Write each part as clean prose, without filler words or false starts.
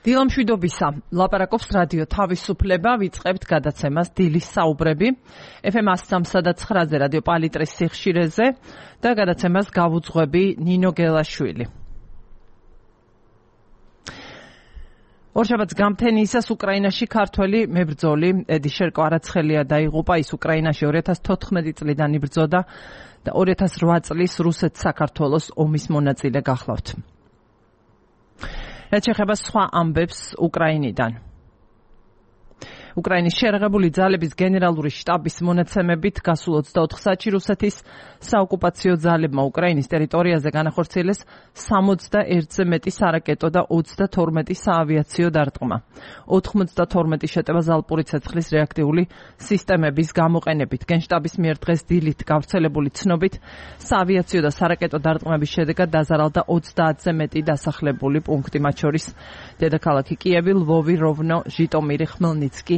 დილამშვიდობისა, ლაპარაკობს რადიო თავისუფლება, ვიწყებთ გადაცემას დილის საუბრები, FM 103.9-ზე რადიო პალიტრის სიხშირეზე და გადაცემას გავუძღვები ნინო გელაშვილი. ორშაბათს გამთენიისას უკრაინაში ქართველი მებრძოლი ედიშერ კვარაცხელია დაიღუპა. ის უკრაინაში 2014 წლიდან იბრძოდა და 2008 წლის რუსეთ-საქართველოს ომის მონაწილე გახლავთ. რაც შეეხება სხვა ამბებს უკრაინიდან. უკრაინის შერღებული ძალების გენერალური შტაბის მონაცემებით გასულ 24 საათში რუსეთის საოკუპაციო ძალებმა უკრაინის ტერიტორიაზე განახორციელეს 61-ზე მეტი სარაკეტო და 32 საავიაციო დარტყმა. 92 შეტევა ზალპური ცეცხლის რეაქტიული სისტემების გამოყენებით. გენშტაბის მიერ დღეს დილით გავრცელებული ცნობით საავიაციო და სარაკეტო დარტყმების შედეგად დაზარალდა 30-ზე მეტი დასახლებული პუნქტი, მათ შორის დედაქალაქი კიევი, ლვოვი, როვნო, ჟიტომირი, ხმელნიცკი,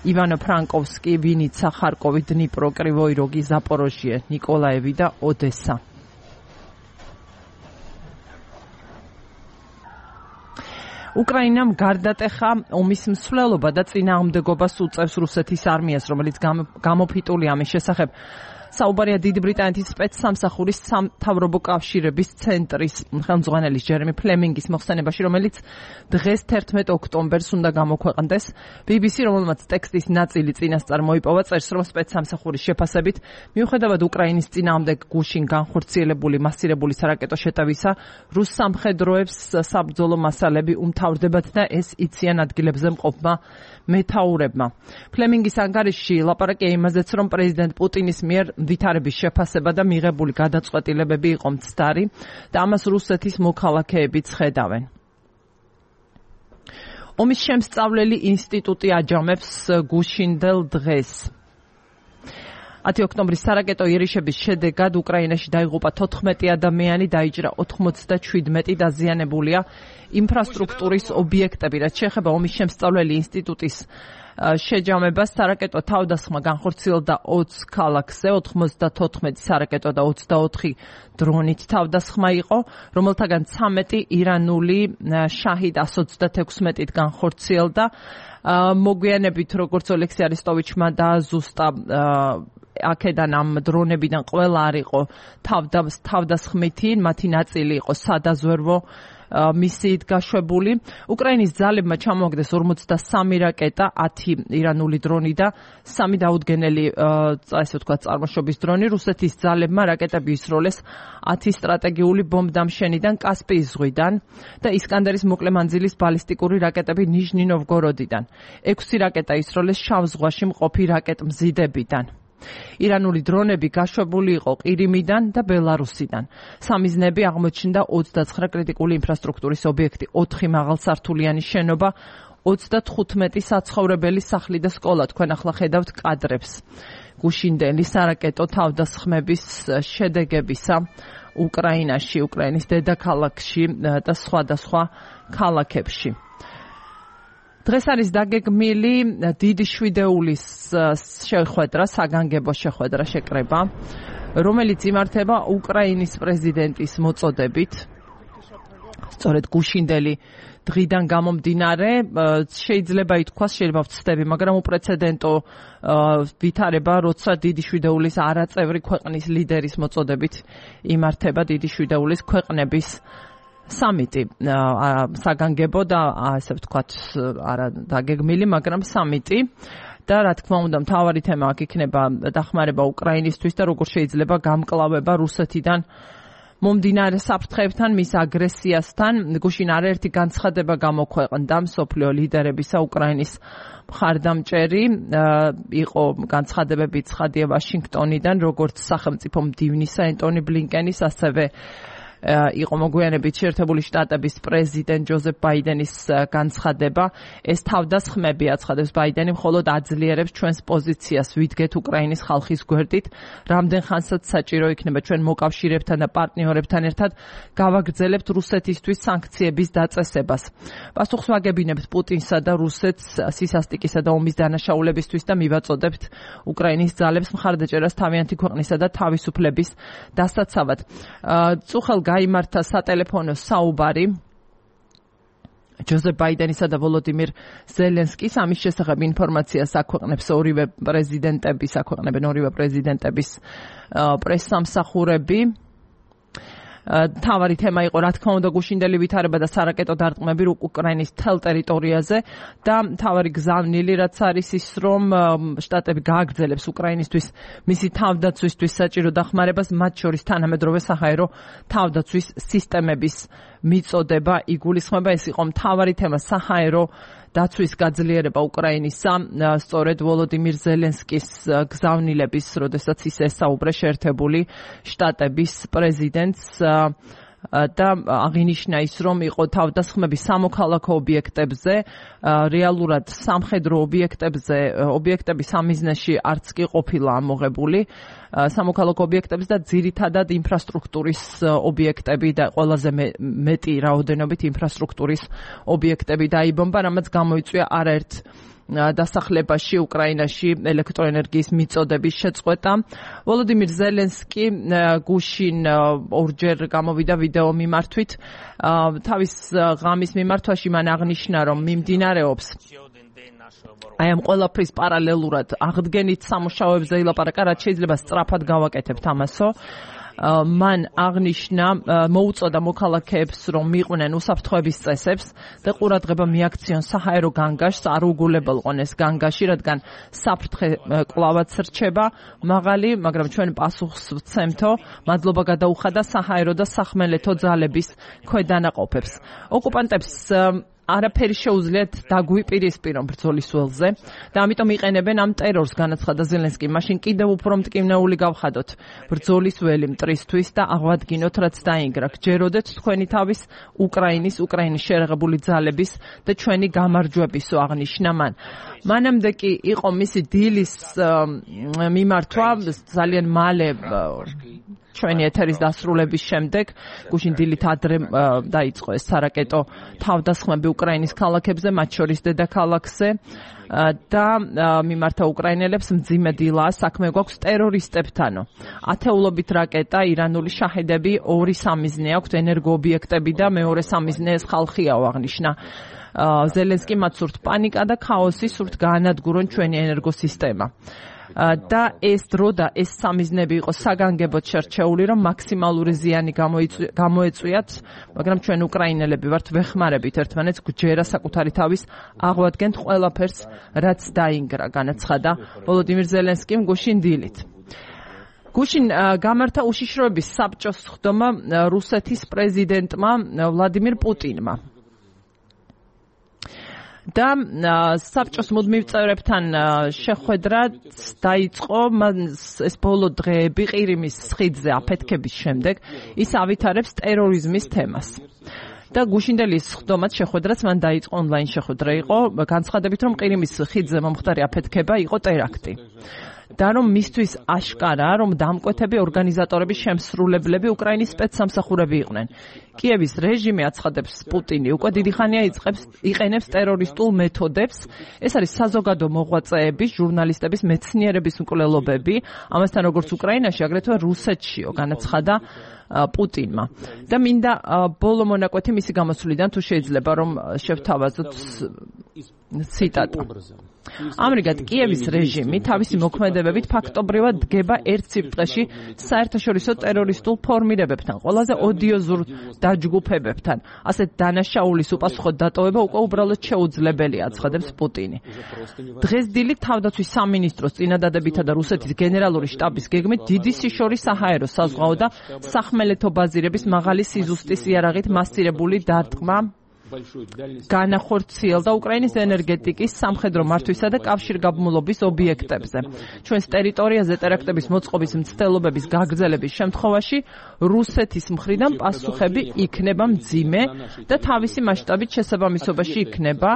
ივანო-ფრანკოვსკი, ვინიცა, ხარკოვი, დნიპრო, კრივოი როგი, ზაპოროჟიე, ნიკოლაევი და ოდესა. უკრაინამ გარდატეხა ომის მსვლელობა და წინააღმდეგობას უწევს რუსეთის არმიას, რომელიც გამოფიტული ამის შესახებ საუბარია დიდი ბრიტანეთის სპეცსამსახურის სამთავრობო კავშირების ცენტრის ხელმძღვანელის ჯერემი ფლემინგის მოხსენებაში, რომელიც დღეს 11 ოქტომბერს უნდა გამოქვეყნდეს. BBC, რომელმაც ტექსტის ნაწილი წინასწარ მოიპოვა, წერს, რომ სპეცსამსახურის შეფასებით, მიუხედავად უკრაინის წინააღმდეგ გუშინ განხორციელებული მასირებული სარაკეტო შეტევისა, რუს სამხედროებს საბრძოლო მასალები უმთავრდებათ და ეს იციან ადგილებზე მყოფმა მეთაურებმა. ფლემინგის ანგარიშში ლაპარაკია იმაზეც, რომ პრეზიდენტ პუტინის მიერ ვითარების შეფასება და მიღებული გადაწყვეტილებები იყო მცდარი და ამას რუსეთის მოქალაქეებიც ხედავენ. ომის შემსწავლელი ინსტიტუტი აჯამებს გუშინდელ დღეს. 10 ოქტომბრის სარაკეტო იერიშების შედეგად უკრაინაში დაიღუპა 14 ადამიანი, დაიჭრა 97 დაზიანებულია ინფრასტრუქტურის ობიექტები. რაც შეეხება ომის შემსწავლელი ინსტიტუტის შეჯამებას, სარაკეტო თავდასხმა განხორციელდა 20 ქალაქზე, 94 სარაკეტო და 24 დრონით თავდასხმა იყო, რომელთაგან 13 ირანული შაჰიდ 136-ით განხორციელდა. მოგვიანებით, როგორც ოლექსი არესტოვიჩმა დააზუსტა, აქედან ამ დრონებიდან ყველა არ იყო თავდასხმითი, მათი ნაწილი იყო სადაზვერვო მისიით გაშვებული. უკრაინის ძალებმა ჩამოაგდეს 43 რაკეტა, 10 ირანული დრონი და 3 დაუდგენელი, ასე ვთქვათ, წარმოშობის დრონი. რუსეთის ძალებმა რაკეტები ისროლეს 10 სტრატეგიული ბომბდამშენიდან, კასპიის ზღვიდან და ისკანდერის მოკლე მანძილის ბალისტიკური რაკეტები ნიჟნი-ნოვგოროდიდან. 6 რაკეტა ისროლეს შავ ზღვაში მყოფი რაკეტმზიდებიდან. ირანული დრონები გაშვებული იყო ყირიმიდან და ბელარუსიდან. სამიზნეები აღმოჩნდა 29 კრიტიკული ინფრასტრუქტურის ობიექტი, 4 მაღალსართულიანი შენობა, 35 საცხოვრებელი სახლი და სკოლა. თქვენ ახლა ხედავთ კადრებს გუშინდელი სარაკეტო თავდასხმების შედეგებისა უკრაინაში, უკრაინის დედაქალაქში და სხვადასხვა ქალაქებში. დღეს არის დაგეგმილი დიდი შვიდეულის შეხვედრა, საგანგებო შეხვედრა შეკრება, რომელიც იმართება უკრაინის პრეზიდენტის მოწოდებით. სწორედ გუშინდელი დღიდან გამომდინარე, შეიძლება ითქვას, შეიძლება ვცდები, მაგრამ უპრეცედენტო ვითარება, როცა დიდი შვიდეულის არაწევრი ქვეყნის ლიდერის მოწოდებით იმართება დიდი შვიდეულის ქვეყნების სამიტი, საგანგებო და ასე ვთქვათ, არა დაგეგმილი, მაგრამ სამიტი. და რა თქმა უნდა, მთავარი თემა აქ იქნება დახმარება უკრაინისთვის და როგორ შეიძლება გამკლავება რუსეთიდან მომდინარე საფრთხეებთან, მის აგრესიასთან. გუშინ არაერთი განცხადება გამოქვეყნდა მსოფლიო ლიდერებისა უკრაინის მხარდამჭერი. იყო განცხადებები ცხადია ვაშინგტონიდან, როგორც სახელმწიფო მდივნისა ენტონი ბლინკენის, ასევე იყო მოგვიანებით შეერთებული შტატების პრეზიდენტ ჯოზეფ ბაიდენის განცხადება. ეს თავდასხმები, აცხადებს ბაიდენი, მხოლოდ აძლიერებს ჩვენს პოზიციას, ვიდგეთ უკრაინის ხალხის გვერდით. რამდენ ხანსაც საჭირო იქნება ჩვენ მოკავშირეებთან და პარტნიორებთან ერთად გავაგრძელებთ რუსეთისთვის სანქციების დაწესებას. პასუხს ვაგებინებთ პუტინსა და რუსეთს სისასტიკისა და ომის დანაშაულებისთვის და მივაწოდებთ უკრაინის ძალებს მხარდაჭერას თავიანთი ქვეყნისა და თავისუფლების დასაცავად. წუხელ გაიმართა სატელეფონო საუბარი ჯოზეფ ბაიდენისა და ვოლოდიმირ ზელენსკის ამის შესახებ ინფორმაციას აქვეყნებს ორივე პრეზიდენტების პრესსამსახურები. თავარი თემა იყო, რა თქმა უნდა, გუშინდელი ვითარება და სარაკეტო დარტყმები უკრაინის მთელ ტერიტორიაზე და თავარი გზავნილი, რაც არის ის, რომ შტატები გააგრძელებს უკრაინისთვის მისი თავდაცვისთვის საჭირო დახმარებას, მათ შორის თანამედროვე საჰაერო თავდაცვის სისტემების მიწოდება იგულისხმება. ეს იყო მთავარი თემა, საჰაერო დაცვის გაძლიერება უკრაინისა, სწორედ ვოლოდიმირ ზელენსკის გზავნილების, როდესაც ის ესაუბრა შეერთებული შტატების პრეზიდენტს და აღინიშნა ის, რომ იყო თავდასხმები სამოქალაქო ობიექტებზე, რეალურად სამხედრო ობიექტები სამიზნეში არც კი ყოფილა ამოღებული, სამოქალაქო ობიექტებზე და ძირითადად ინფრასტრუქტურის ობიექტები და ყველაზე მეტი რაოდენობით ინფრასტრუქტურის ობიექტები დაიბომბა, რამაც გამოიწვია არაერთ დასახლებაში უკრაინაში ელექტროენერგიის მიწოდების შეწყვეტა. ვოლოდიმირ ზელენსკი გუშინ ორჯერ გამოვიდა ვიდეო მიმართვით. თავის ღამის მიმართვაში მან აღნიშნა, რომ მიმდინარეობს აი ამ ყველაფრის პარალელურად აღდგენით სამუშაოებზე ილაპარაკა, რაც შეიძლება სწრაფად გავაკეთებთ ამასო. მან აღნიშნა, მოუწოდა მოქალაქეებს, რომ მიყვნენ უსაფრთხოების წესებს და ყურადღება მიაქციონ საჰაერო განგაშს, არ უგულებელყონ ეს განგაში, რადგან საფრთხე კლავაც რჩება მაღალი, მაგრამ ჩვენ პასუხს ვცემთო. მადლობა გადაუხადა საჰაერო და სახმელეთო ძალების ქვედანაყოფებს. ოკუპანტებს არაფერი შეუძლიათ დაგვიპირისპირონ ბრძოლის ველზე და ამიტომ იყენებენ ამ ტერორს, განაცხადა ზელენსკი. მაშინ კიდევ უფრო მტკივნეული გავხადოთ ბრძოლის ველი მტრისთვის და აღვადგინოთ, რაც დაინგრა. გჯეროდეთ თქვენი თავის უკრაინის შეერაღებული ძალების და ჩვენი გამარჯვებისო, აღნიშნა მან. მანამდე კი იყო მისი დილის მიმართვა ძალიან მალე ჩვენი ეთერის დასრულების შემდეგ, გუშინ დილით ადრე დაიწყო ეს სარაკეტო თავდასხმები უკრაინის ქალაქებზე, მათ შორის დედაქალაქზე და მიმართა უკრაინელებს მძიმე დილაა, საქმე გვაქვს ტერორისტებთანო. ათეულობით რაკეტა, ირანული შაჰედები, ორი სამიზნე აქვთ, ენერგოობიექტები და მეორე სამიზნე ეს ხალხიაო, აღნიშნა ზელენსკი. მათ სურთ პანიკა და ქაოსი, სურთ გაანადგურონ ჩვენი ენერგოსისტემა. და ეს დრო და ეს სამიზნები იყო საგანგებოდ შერჩეული, რომ მაქსიმალური ზიანი გამოეწვიათ, მაგრამ ჩვენ უკრაინელები ვართ, ვეხმარებით ერთმანეთს, გვჯერა საკუთარი თავის აღვადგენთ ყველაფერს, რაც დაინგრა, განაცხადა ვოლოდიმირ ზელენსკიმ გუშინ დილით. გუშინ გამართა უშიშროების საბჭოს სხდომა რუსეთის პრეზიდენტმა ვლადიმირ პუტინმა. და საბჭოს მუდმივ წევრებთან შეხვედრა დაიწყო, ეს ბოლო დღეები ყირიმის ხიდზე აფეთქების შემდეგ ის ავითარებს ტერორიზმის თემას. და გუშინდელი სხდომაც შეხვედრაც მან დაიწყო, ონლაინ შეხვედრა იყო, განცხადებით, რომ ყირიმის ხიდზე მომხდარი აფეთქება იყო ტერაქტი. და რომ მისთვის აშკარაა, რომ დამკვეთები ორგანიზატორების შემსრულებლები უკრაინის სპეცსამსახურები იყვნენ. კიევის რეჟიმი, აცხადებს პუტინი, უკვე დიდი ხანია იყენებს ტერორისტულ მეთოდებს. ეს არის საზოგადო მოღვაწეების, ჟურნალისტების, მეცნიერების მკვლელობები, ამასთან როგორც უკრაინაში, აგრეთვე რუსეთშიო, განაცხადა პუტინმა. და მინდა ბოლო მონაკვეთი მისი გამოსვლიდან, თუ შეიძლება, რომ შევთავაზოთ ციტატა. ამრიგად, კიევის რეჟიმი თავისი მოქმედებებით ფაქტობრივად დგება ერთ სიბრტყეში საერთაშორისო ტერორისტულ ფორმირებებთან, ყველაზე ოდიოზურ დაჯგუფებებთან. ასეთ დანაშაულის უპასუხოდ დატოვება უკვე უბრალოდ შეუძლებელია, აცხადებს პუტინი. დღეს დილით თავდაცვის სამინისტროს წინადადებითა და რუსეთის გენერალური შტაბის გეგმით დიდი სიშორი საჰაერო, საზღვაო და სახმელეთო ბაზირების მაღალი სიზუსტის იარაღით მასირებული დარტყმა განახორციელდა უკრაინის ენერგეტიკის, სამხედრო მართვისა და კავშირგაბმულობის ობიექტებზე. ჩვენს ტერიტორიაზე ტერაქტების მოწყობის მცდელობების გაგრძელების შემთხვევაში რუსეთის მხრიდან პასუხები იქნება მძიმე და თავისი მასშტაბით შესაბამისობაში იქნება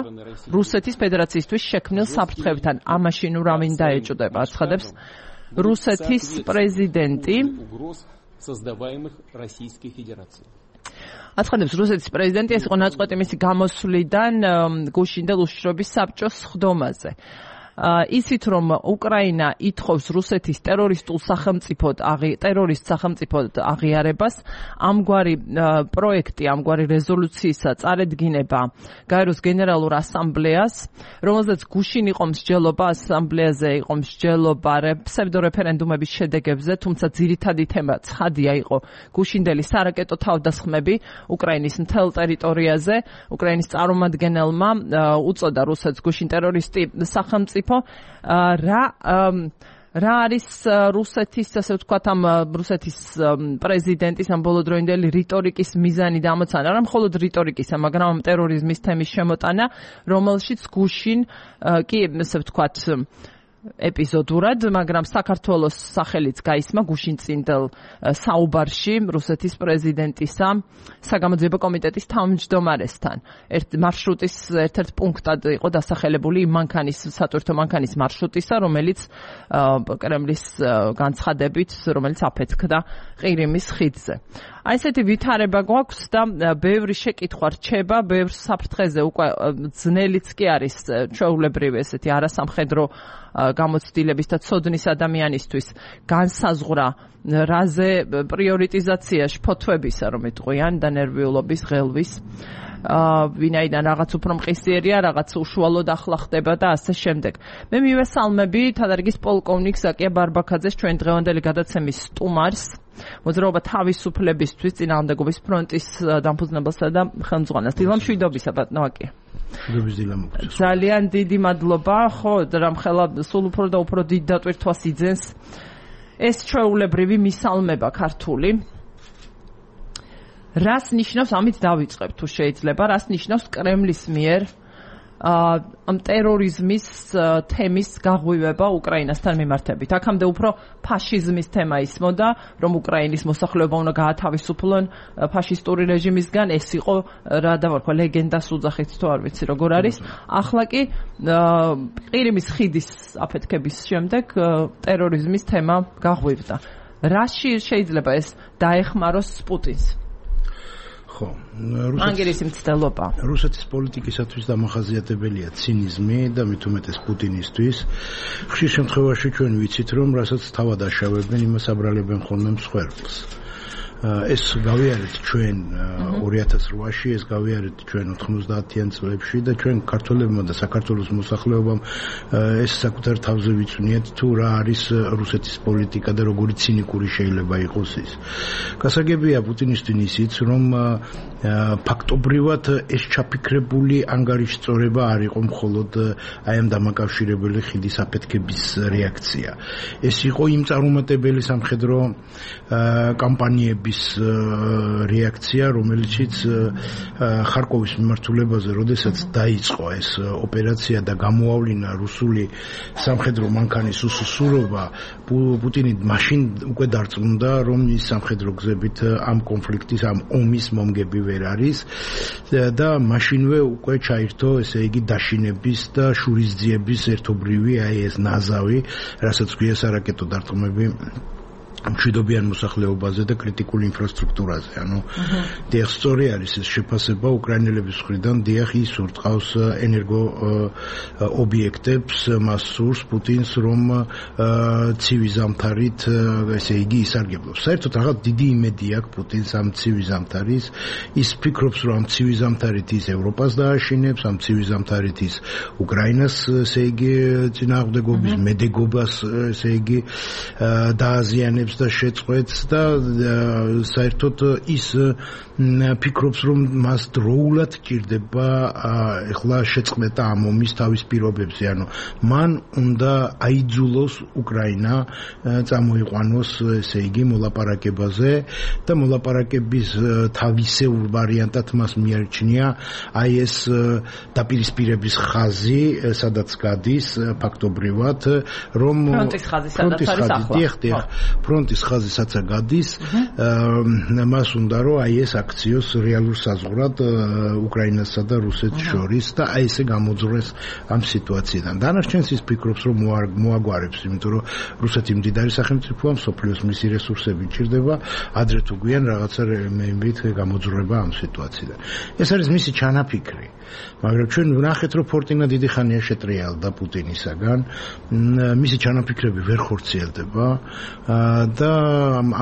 რუსეთის ფედერაციისთვის შექმნილ საფრთხეებთან. ამაში ნუ რა მინდა ეჭვდება, აცხადებს რუსეთის პრეზიდენტი. აცხადებს რუსეთის პრეზიდენტი, ეს იყო ნაწყვეტი მისი გამოსვლიდან გუშინდელ უშიშროების საბჭოს სხდომაზე. ისიც რომ უკრაინა ითხოვს რუსეთის ტერორისტ სახელმწიფოდ აღიარებას, ამგვარი პროექტი, ამგვარი რეზოლუციის წარედგინება გაეროს გენერალურ ასამბლეას, რომელზეც გუშინ იყო მსჯელობა, ასამბლეაზე იყო მსჯელობა ფსევდორეფერენდუმების შედეგებზე, თუმცა ძირითადი თემა ცხადია იყო გუშინდელი სარაკეტო თავდასხმები უკრაინის მთელ ტერიტორიაზე. უკრაინის წარმომადგენელმა უწოდა რუსეთს გუშინ ტერორისტი სახელმწიფო. რა არის რუსეთის, ასე ვთქვათ, ამ რუსეთის პრეზიდენტის ამ ბოლოდროინდელი რიტორიკის მიზანი და ამოცანა, არა მხოლოდ რიტორიკისა, მაგრამ ამ ტერორიზმის თემის შემოტანა, რომელშიც გუშინ კი, ასე ვთქვათ, ეპიზოდურად, მაგრამ საქართველოს სახელიც გაისმა გუშინწინდელ საუბარში რუსეთის პრეზიდენტისა საგამოძიებო კომიტეტის თავმჯდომარესთან. მარშრუტის ერთ-ერთ პუნქტად იყო დასახელებული სატვირთო მანქანის მარშრუტისა, რომელიც კრემლის განცხადებით, რომელიც აფეთქდა ყირიმის ხიდზე. აი ესეთი ვითარება გვაქვს და ბევრი შეკითხვა რჩება, ბევრ საფრთხეზე უკვე ძნელიც კი არის ჩვეულებრივი ესეთი არასამხედრო გამოცდილების და ცოდნის ადამიანისთვის განსაზღვრა რაზე პრიორიტიზაცია შფოთვებისა, რომ იტყვიან და ნერვიულობის, ღელვის, ვინაიდან რაღაც უფრო მყისიერია, რაღაც უშუალოდ ახლა ხდება და ასე შემდეგ. მე მივესალმები თადარიგის პოლკოვნიკ ზაკია ბარბაქაძეს, ჩვენ დღევანდელი გადაცემის სტუმარს, მოძრაობა თავისუფლებისთვის წინააღმდეგობის ფრონტის დამფუძნებელსა და ხელმძღვანელს. დილა მშვიდობისა, ბატონო აკია. ძალიან დიდი მადლობა, ხო, რამხელა სულ უფრო და უფრო დიდ დატვირთვას იძენს ეს ჩვეულებრივი მისალმება ქართული. რას ნიშნავს, ამით დავიწყებ თუ შეიძლება, რას ნიშნავს კრემლის მიერ ამ ტერორიზმის თემის გაღვივება უკრაინასთან მიმართებით. აქამდე უფრო ფაშიზმის თემა ისმოდა, რომ უკრაინის მოსახლეობა უნდა გაათავისუფლონ ფაშისტური რეჟიმისგან, ეს იყო რა დავარქვა ლეგენდას უძახით თუ არ ვიცი როგორ არის. ახლა კი ყირიმის ხიდის აფეთქების შემდეგ ტერორიზმის თემა გაღვივდა. რაში შეიძლება ეს დაეხმაროს პუტინს? ხო, რუსეთის პოლიტიკისათვის დამახასიათებელია ცინიზმი და მით უმეტეს პუტინისთვის. ხშირ შემთხვევაში ჩვენ ვიცით, რომ რასაც თავად აშავებენ, იმას აბრალებენ ხოლმე მსხვერპლს. ეს გავიარეთ ჩვენ 2008-ში, ეს გავიარეთ ჩვენ 90-იან წლებში და ჩვენ ქართველებმა და საქართველოს მოსახლეობამ ეს საკუთარ თავზე ვიწვნიეთ თუ რა არის რუსეთის პოლიტიკა და როგორი ცინიკური შეიძლება იყოს ის. გასაგებია პუტინისთვის ისიც, რომ ფაქტობრივად ეს ჩაფიქრებული ანგარიშწორება არ იყო მხოლოდ აი ამ დამაკავშირებელი ხიდის აფეთქების რეაქცია. ეს იყო იმ წარუმატებელი სამხედრო კამპანიების რეაქცია, რომელშიც ხარკოვის მიმართულებაზე, როდესაც დაიწყო ეს ოპერაცია და გამოავლინა რუსული სამხედრო მანქანის უსუსურობა, პუტინი მაშინ უკვე დარწმუნდა, რომ ის სამხედრო გზებით ამ კონფლიქტის, ამ ომის მომგები ვერ არის და მაშინვე უკვე ჩაირთო, ესე იგი, დაშინების და შურისძიების ერთობრივი აი ეს ნაზავი, რასაც გვია სარაკეტო დარტყმები მშვიდობიან მოსახლეობაზე და კრიტიკულ ინფრასტრუქტურაზე. დიახ, სწორი არის ეს შეფასება უკრაინელების მხრიდან, დიახ, ის ურტყავს ენერგო ობიექტებს, მას სურს პუტინს, რომ ცივი ზამთარით, ესე იგი, ისარგებლოს. საერთოდ რაღაც დიდი იმედი აქვს პუტინს ამ ცივი ზამთარის. ის ფიქრობს, რომ ამ ცივი ზამთარით ის ევროპას დააშინებს, ამ ცივი ზამთარით ის უკრაინას, ესე იგი, წინააღმდეგობის მედეგობას, ესე იგი, დააზიანებს და შეწყვეტს და საერთოდ ის ფიქრობს, რომ მას დროულად ჭირდება ეხლა შეწყვეტა ამ ომის თავის პირობებზე, ანუ მან უნდა აიძულოს უკრაინა წამოიყვანოს, ესე იგი, მოლაპარაკებაზე და მოლაპარაკების თავისეულ ვარიანტად მას მიარჩნია აი ეს დაპირისპირების ხაზი, სადაც გადის ფაქტობრივად, რომ ფრონტის ხაზი, სადაც არის ახლა. დიახ, ფრონტის ხაზისაც გადის, მას უნდა რომ აი ეს აქციოს რეალურ საზღვრად უკრაინასა და რუსეთს შორის და აი ესე გამოძრეს ამ სიტუაციიდან. დანარჩენს ის ფიქრობს რომ მოაგვარებს, იმიტომ რომ რუსეთი მდიდარი სახელმწიფოა, მსოფლიოს მისი რესურსები ჭირდება, ადრე თუ გვიან რაღაცა მეებით გამოძრება ამ სიტუაციიდან. ეს არის მისი ჩანაფიქრი. მაგრამ ჩვენ ვნახეთ რომ ფორტინა დიდი ხანია შეტრიალდა პუტინისაგან, მისი ჩანაფიქრები ვერ ხორციელდება და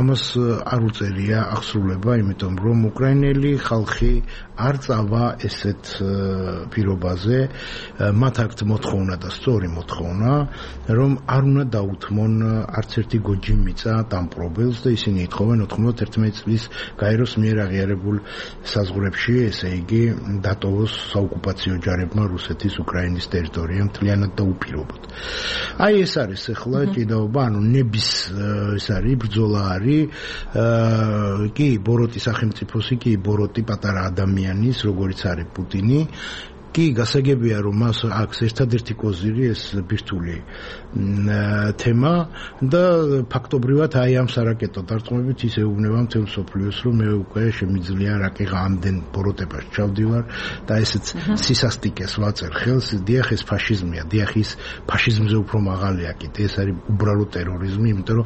ამას არ უწერია აღსრულება, იმიტომ რომ უკრაინელი ხალხი არ წავა ესეთ პირობაზე, მათ აქვთ მოთხოვნა და სწორი მოთხოვნა, რომ არ უნდა დაუთმონ არც ერთი გოჯი მიწა დამპყრობელს და ისინი ითხოვენ 91 წლის გაეროს მიერ აღიარებულ საზღვრებში, ესე იგი დატოვოს საოკუპაციო ჯარებმა რუსეთის უკრაინის ტერიტორია მთლიანად და უპირობოდ. აი ეს არის ახლა ჭიდაობა, ანუ ნების ეს არის ბრძოლა არის, კი ბოროტი სახელმწიფოსი, კი ბოროტი პატარა ადამიანის, როგორიც არის პუტინი. კი გასაგებია რომ მას აქვს ერთადერთი კოზირი ეს ბირთვული თემა და ფაქტობრივად აი ამ სარაკეტო დარტყმებით ის ეუბნება მთელ მსოფლიოს რომ მე უკვე შემიძლია რაკეღა ამდენ ბოროტებას ჩავდივარ და ესეც სისასტიკეს ვაწერ ხელს, დიახ ეს ფაშიზმია, დიახ ის ფაშიზმზე უფრო მაღალია კიდე, ეს არის უბრალო ტერორიზმი, იმიტომ რომ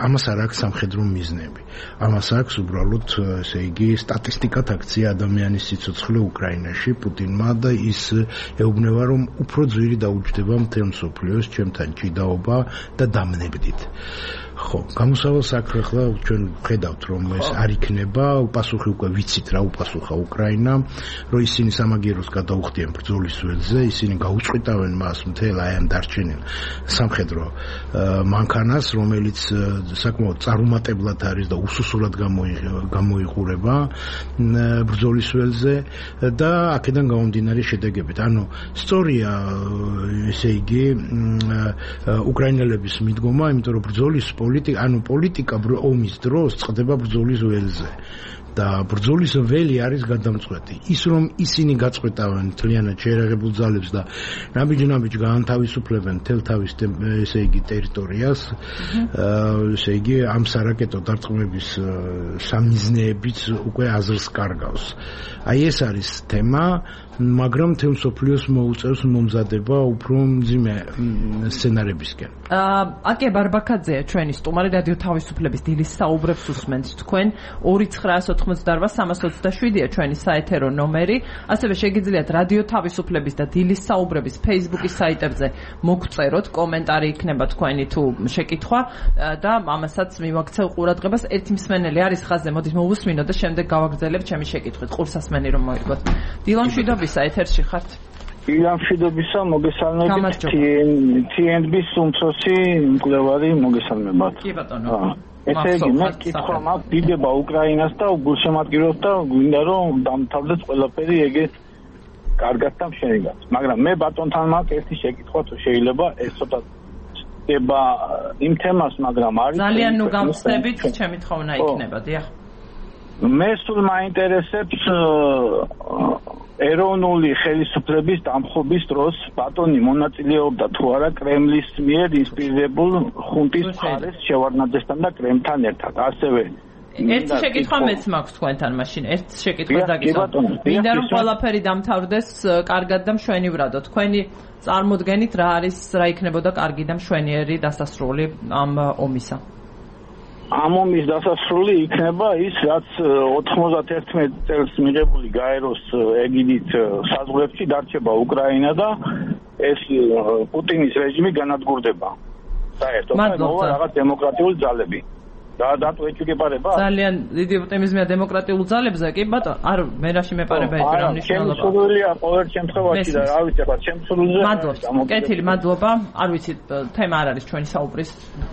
ამას არ აქვს სამხედრო მიზნები, ამას აქვს უბრალოდ ესე იგი სტატისტიკად აქცია ადამიანის სიცოცხლე უკრაინაში პუტინმა და ის ეუბნება რომ უფრო ძვირი დაუჯდება მთელ მსოფლიოს ჩემთან ჭიდაობა და დამნებდით. ხო, გამოსავალ საქმე ახლა ჩვენ ვხედავთ რომ ეს არ იქნება, უპასუხი უკვე ვიცით რა უპასუხა უკრაინამ, რომ ისინი სამაგიეროს გადაუხდიან ბრძოლის ველზე, ისინი გაუწყვეტავენ მას მთელ აი ამ დარჩენილ სამხედრო მანქანას, რომელიც საკმაოდ წარუმატებლად არის და უსუსურად გამოიყურება ბრძოლის ველზე და აქედან გამომდინარე შედეგებით. ანუ სწორია ესე იგი უკრაინელების მიდგომა, იმიტომ რომ ბრძოლის პოლიტიკა ომის დროს წყდება ბრძოლის ველზე და ბრძოლის ველი არის გადამწყვეტი. ის რომ ისინი გაწყვეტავენ მთლიანად შეერაღებულ ძალებს და ნაბიჯ გაანთავისუფლებენ მთელ თავის ესე იგი ტერიტორიას, ესე იგი ამ სარაკეტო დარტყმების სამიზნეებიც უკვე აზრს კარგავს. აი ეს არის თემა, მაგრამ მთელ მსოფლიოს მოუწევს მომზადება უფრო მძიმე სცენარებისკენ. აკე ბარბაკაძეა ჩვენი სტუმარი, რადიო თავისუფლების დილის საუბრებს უსმენთ თქვენ. 2988-327-ია ჩვენი საეთერო ნომერი. ასევე შეგიძლიათ რადიო თავისუფლების და დილის საუბრების Facebook-ის საიტებზე მოგწეროთ, კომენტარი იქნება თქვენი თუ შეკითხვა და ამასაც მივაქცევ ყურადღებას. ერთი მსმენელი არის ხაზზე, მოდით მოვუსმინოთ და შემდეგ გავაგრძელებ ჩემი შეკითხვით. ყურსასმენი რომ მოიგოთ. დილან მშვიდობისა, ეთერში ხართ. დილან მშვიდობისა, მოგესალმებით. TNB-ის უმცროსი მკვლევარი მოგესალმებათ. კი ბატონო. ესე იგი, მე კითხვა მაქვს, დიდება უკრაინას და გულშემატკივრობთ და გვინდა რომ დამთავრდეს ყველაფერი ეგეთ კარგად და მშვენივრად. მაგრამ მე ბატონთან მაქვს ერთი შეკითხვა, თუ შეიძლება, ეს ცოტა ხდება იმ თემას, მაგრამ არის ძალიან ნუ გამხსნებით, ჩემი თხოვნა იქნება, დიახ. მე სულ მაინტერესებს ეროვნული ხელისუფლების დამხობის დროს ბატონი მონაწილეობდა თუ არა კრემლის მიერ ინსპირირებულ ხუნტის მხარეს შევარდნაძესთან და კრემლთან ერთად. ასევე ერთი შეკითხვა მეც მაქვს თქვენთან მაშინ. ერთ შეკითხვას დაგისვამ. მინდა რომ ყველაფერი დამთავრდეს კარგად და მშვენივრადო. თქვენი წარმოდგენით რა არის, რა იქნებოდა კარგი და მშვენიერი დასასრული ამ ომისა? ამ ომის დასასრული იქნება ის, რაც 91 წელს მიღებული გაეროს ეგიდით საზღვრებში დარჩება უკრაინა და ეს პუტინის რეჟიმი განადგურდება. საერთოდ მოვა რაღაც დემოკრატიული ძალები. დატო ეჭვგებარება? ძალიან დიდი ოპტიმიზმია დემოკრატიულ ძალებზე, კი ბატონო, არ მე რაში მეპარება ეს რა მნიშვნელობა. შემსრულია ყოველ შემთხვევაში და რა ვიცი, ახლა შემსრულზე. მადლობა. კეთილი, მადლობა. არ ვიცი, თემა არ არის ჩვენი საუბრის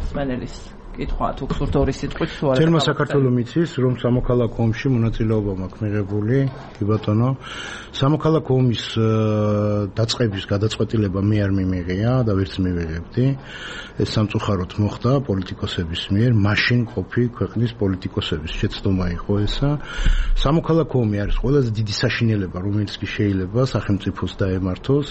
სმენელის. კითხვა თუ გსურთ ორი სიტყვით თუ არა. თერმა საქართველოს მიცის რომ სამოქალაქო ომში მონაწილეობა მაქვს მიღებული, კი ბატონო. სამოქალაქო ომის დაწყების გადაწყვეტილება მე არ მიმიღია და ვერც მივიღებდი. ეს სამწუხაროდ მოხდა პოლიტიკოსების მიერ, მაშინ ყოფი ქვეყნის პოლიტიკოსების შეცდომა იყო ესა. სამოქალაქო ომი არის ყველაზე დიდი საშინელება, რომელიც კი შეიძლება სახელმწიფოს დაემართოს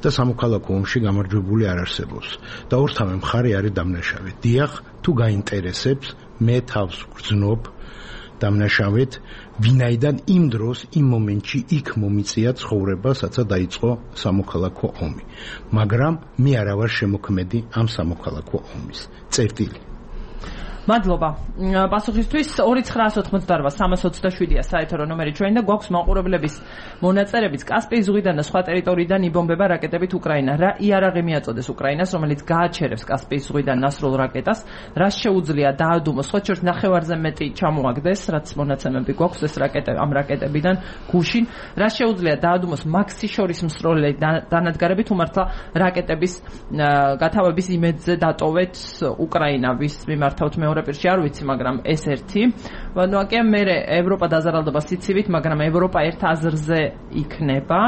და სამოქალაქო ომში გამარჯვებული არ არსებობს. და ორთავე მხარე არის დამნაშავე. დიახ, თუ გაინტერესებს, მე თავს ვგრძნობ დამნაშავედ, ვინაიდან იმ დროს, იმ მომენტში იქ მომიწია ცხოვრება, სადაც დაიწყო სამოქალაქო ომი. მაგრამ მე არა ვარ შემოქმედი ამ სამოქალაქო ომის. წერტილი. მადლობა. პასუხისთვის 2988-327-ია საერთო ნომერი ჩვენ და გვაქვს მაყურებლების მონაწერებიც კასპიის ზღვიდან და სხვა ტერიტორიიდან იბომბება რაკეტებით უკრაინა. რა იარაღი მიაწოდეს უკრაინას, რომელიც გააჩერებს კასპიის ზღვიდან ნასრულ რაკეტას, რას შეუძლია დაადუმოს, ხო შორს ნახევარზე მეტი ჩამოაგდეს, რაც მონაცემები გვაქვს ეს რაკეტები ამ რაკეტებიდან გუშინ, რას შეუძლია დაადუმოს მაქსიშორის მსროლელი დანადგარებით უმართლა რაკეტების გათავების იმედზე დატოვეთ უკრაინა, ვის მიმართავთ მეორე პირში არ ვიცი, მაგრამ ეს ერთი. ნოაკია მე ევროპა დაზარალდება სიცივით, მაგრამ ევროპა ერთ აზრზე იქნება.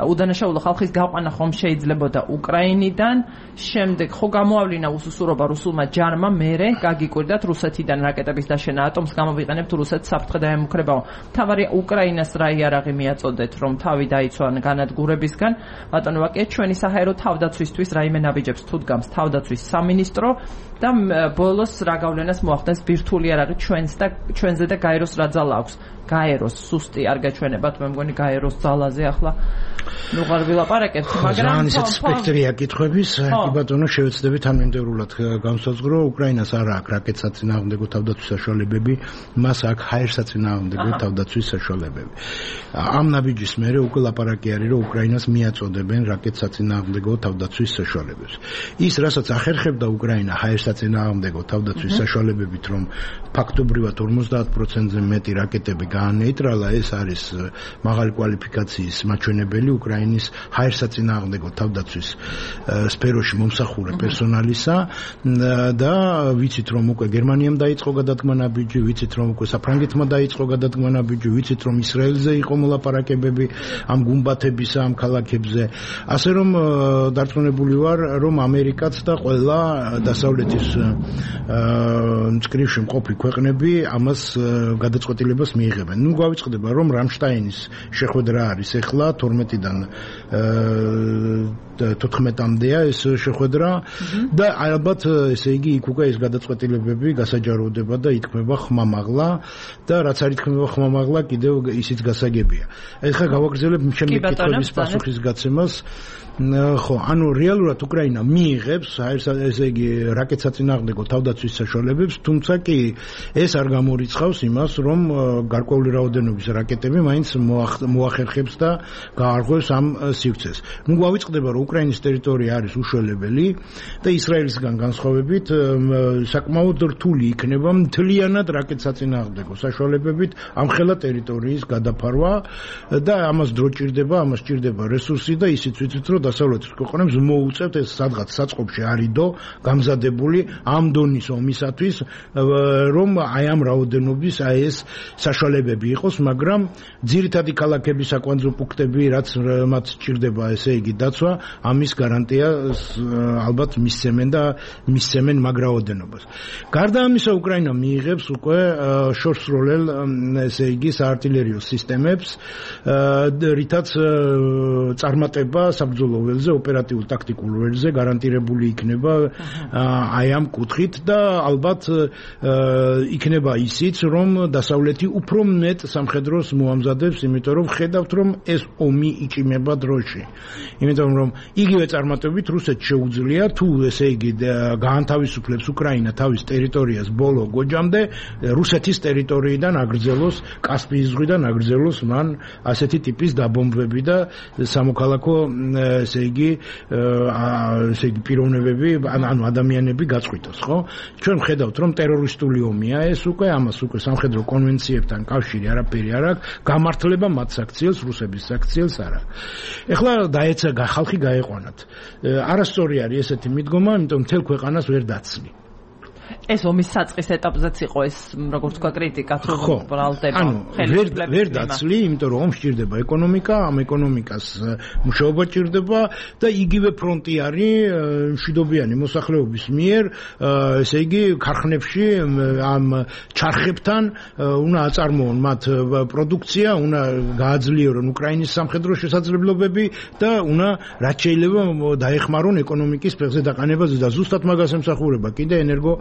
უდანაშაულო ხალხის გაყვანა ხომ შეიძლებოდა უკრაინიდან. შემდეგ ხო გამოავლინა უსუსურობა რუსულმა ჯარმა, მერე გაგიკვირდათ რუსეთიდან რაკეტების დაშენა ატომს გამოვიყენებთ რუსეთს საფრთხე დაემუქრებაო. თავარი უკრაინას რა იარაღი მიაწოდეთ, რომ თავი დაიცვა განადგურებისგან. ბატონო ვაკია, ჩვენი საჰაერო თავდაცვისთვის რაიმე ნაბიჯებს თუ დგამს თავდაცვის სამინისტრო და ბოლოს რა გავლენას მოახდენს ბირთვული იარაღი ჩვენზე და გაეროს რა ძალა აქვს. გაეროს სუსტი არ გაჩვენებათ, მე მგონი გაეროს ძალაზე ახლა ნუ არ ვილაპარაკებთ, მაგრამ ძალიან სპექტრია კითხვების, ბატონო შევეცდებით თანმიმდევრულად განსაზღვრო, უკრაინას არ აქვს რაკეტსაწინააღმდეგო თავდაცვის საშუალებები, მას აქვს ჰაერსაწინააღმდეგო თავდაცვის საშუალებები. ამ ნაბიჯის მერე უკვე ლაპარაკი არის, რომ უკრაინას მიაწოდებენ რაკეტსაწინააღმდეგო თავდაცვის საშუალებებს. ის, რასაც ახერხებდა უკრაინა ჰაერსაწინააღმდეგო თავდაცვის საშუალებებით, რომ ფაქტობრივად 50%-ზე მეტი რაკეტები გაანეიტრალა, ეს არის მაღალი კვალიფიკაციის მაჩვენებელი უკრაინის ჰაერსაწინააღმდეგო თავდაცვის სფეროში მომსახურე პერსონალისა და ვიცით რომ უკვე გერმანიამ დაიწყო გადადგმა ნაბიჯი, ვიცით რომ უკვე საფრანგეთმა დაიწყო გადადგმა ნაბიჯი, ვიცით რომ ისრაელზე იყო მოლაპარაკებები ამ გუმბათების ამ ქალაქებზე. ასე რომ დარწმუნებული ვარ, რომ ამერიკაც და ყველა დასავლეთის მწკრივში მყოფი ქვეყნები ამას გადაწყვეტილებას მიიღებენ. ნუ გავიწყდება რომ რამშტაინის შეხვედრა არის ახლა 12-დან 14-მდეა ეს შეხვედრა და ალბათ ესე იგი იქ უკვე ეს გადაწყვეტილებები გასაჯაროვდება და ითქმება ხმამაღლა და რაც არ ითქმება ხმამაღლა კიდევ ისიც გასაგებია. ეხლა გავაგრძელებ ჩემი კითხვის პასუხის გაცემას. ხო, ანუ რეალურად უკრაინა მიიღებს ესე იგი რაკეტსაწინააღმდეგო თავდაცვის საშუალებებს, თუმცა კი ეს არ გამორიცხავს იმას, რომ გარკვეული რაოდენობის რაკეტები მაინც მოახერხებს და გაარღვევს ამ სივრცეს. ნუ გავიწყდება, რომ უკრაინის ტერიტორია არის უშველებელი და ისრაელისგან განსხვავებით საკმაოდ რთული იქნება მთლიანად რაკეტსაწინააღმდეგო საშუალებებით ამხელა ტერიტორიის გადაფარვა და ამას დრო ჭირდება, ამას ჭირდება რესურსი და ისიც ვიცით, რომ დასავლეთის ქვეყნებს მოუწევთ ეს სადღაც საწყობში არიდო გამზადებული ამ დონის ომისათვის, რომ აი ამ რაოდენობის აი ეს საშუალებები იყოს, მაგრამ ძირითადი ქალაქების საკვანძო პუნქტები, რაც მათ ჭირდება, ესე იგი დაცვა, ამის გარანტია ალბათ მისცემენ მაგ რაოდენობას. გარდა ამისა, უკრაინა მიიღებს უკვე შორსროლელ, ესე იგი, საარტილერიო სისტემებს, რითაც წარმატება საბრძოლო ველზე, ოპერატიულ ტაქტიკულ ველზე გარანტირებული იქნება აი ამ კუთხით და ალბათ იქნება ისიც, რომ დასავლეთი უფრო მეტ სამხედროს მოამზადებს, იმიტომ რომ ხედავთ, რომ ეს ომი იჭიმება დროში. იმიტომ რომ იგივე წარმატებით რუსეთს შეუძლია თუ ესე იგი გაანთავისუფლებს უკრაინა თავის ტერიტორიას ბოლო გოჯამდე, რუსეთის ტერიტორიიდან აგრძელოს, კასპიის ზღვიდან აგრძელოს მან ასეთი ტიპის დაბომბვები და სამოქალაქო ესე იგი პიროვნებები, ანუ ადამიანები გაწყვიტოს, ხო? ჩვენ ხედავთ, რომ ტერორისტული ომია ეს უკვე, ამას უკვე სამხედრო კონვენციებთან კავშირი არაფერი არ აქვს, გამართლება მათ საქციელს, რუსების საქციელს არ აქვს. ეხლა დაეცა ხალხი გაეყვანათ. არასწორი არის ესეთი მიდგომა, იმიტომ მთელ ქვეყანას ვერ დაცლი. ეს ომის საწყის ეტაპზეც იყო ეს, როგორც თქვა, კრიტიკა თუ ბრალდება. ანუ ვერ დაცლი, იმიტომ რომ ომს ჭირდება ეკონომიკა, ამ ეკონომიკას მუშაობა ჭირდება და იგივე ფრონტი არის მშვიდობიანი მოსახლეობის მიერ, ესე იგი, ქარხნებში ამ ჩარხებთან უნდა აწარმოონ მათ პროდუქცია, უნდა გააძლიერონ უკრაინის სამხედრო შესაძლებლობები და უნდა რაც შეიძლება დაეხმარონ ეკონომიკის ფეხზე დაყანებაზე და ზუსტად მაგას ემსახურება კიდე ენერგო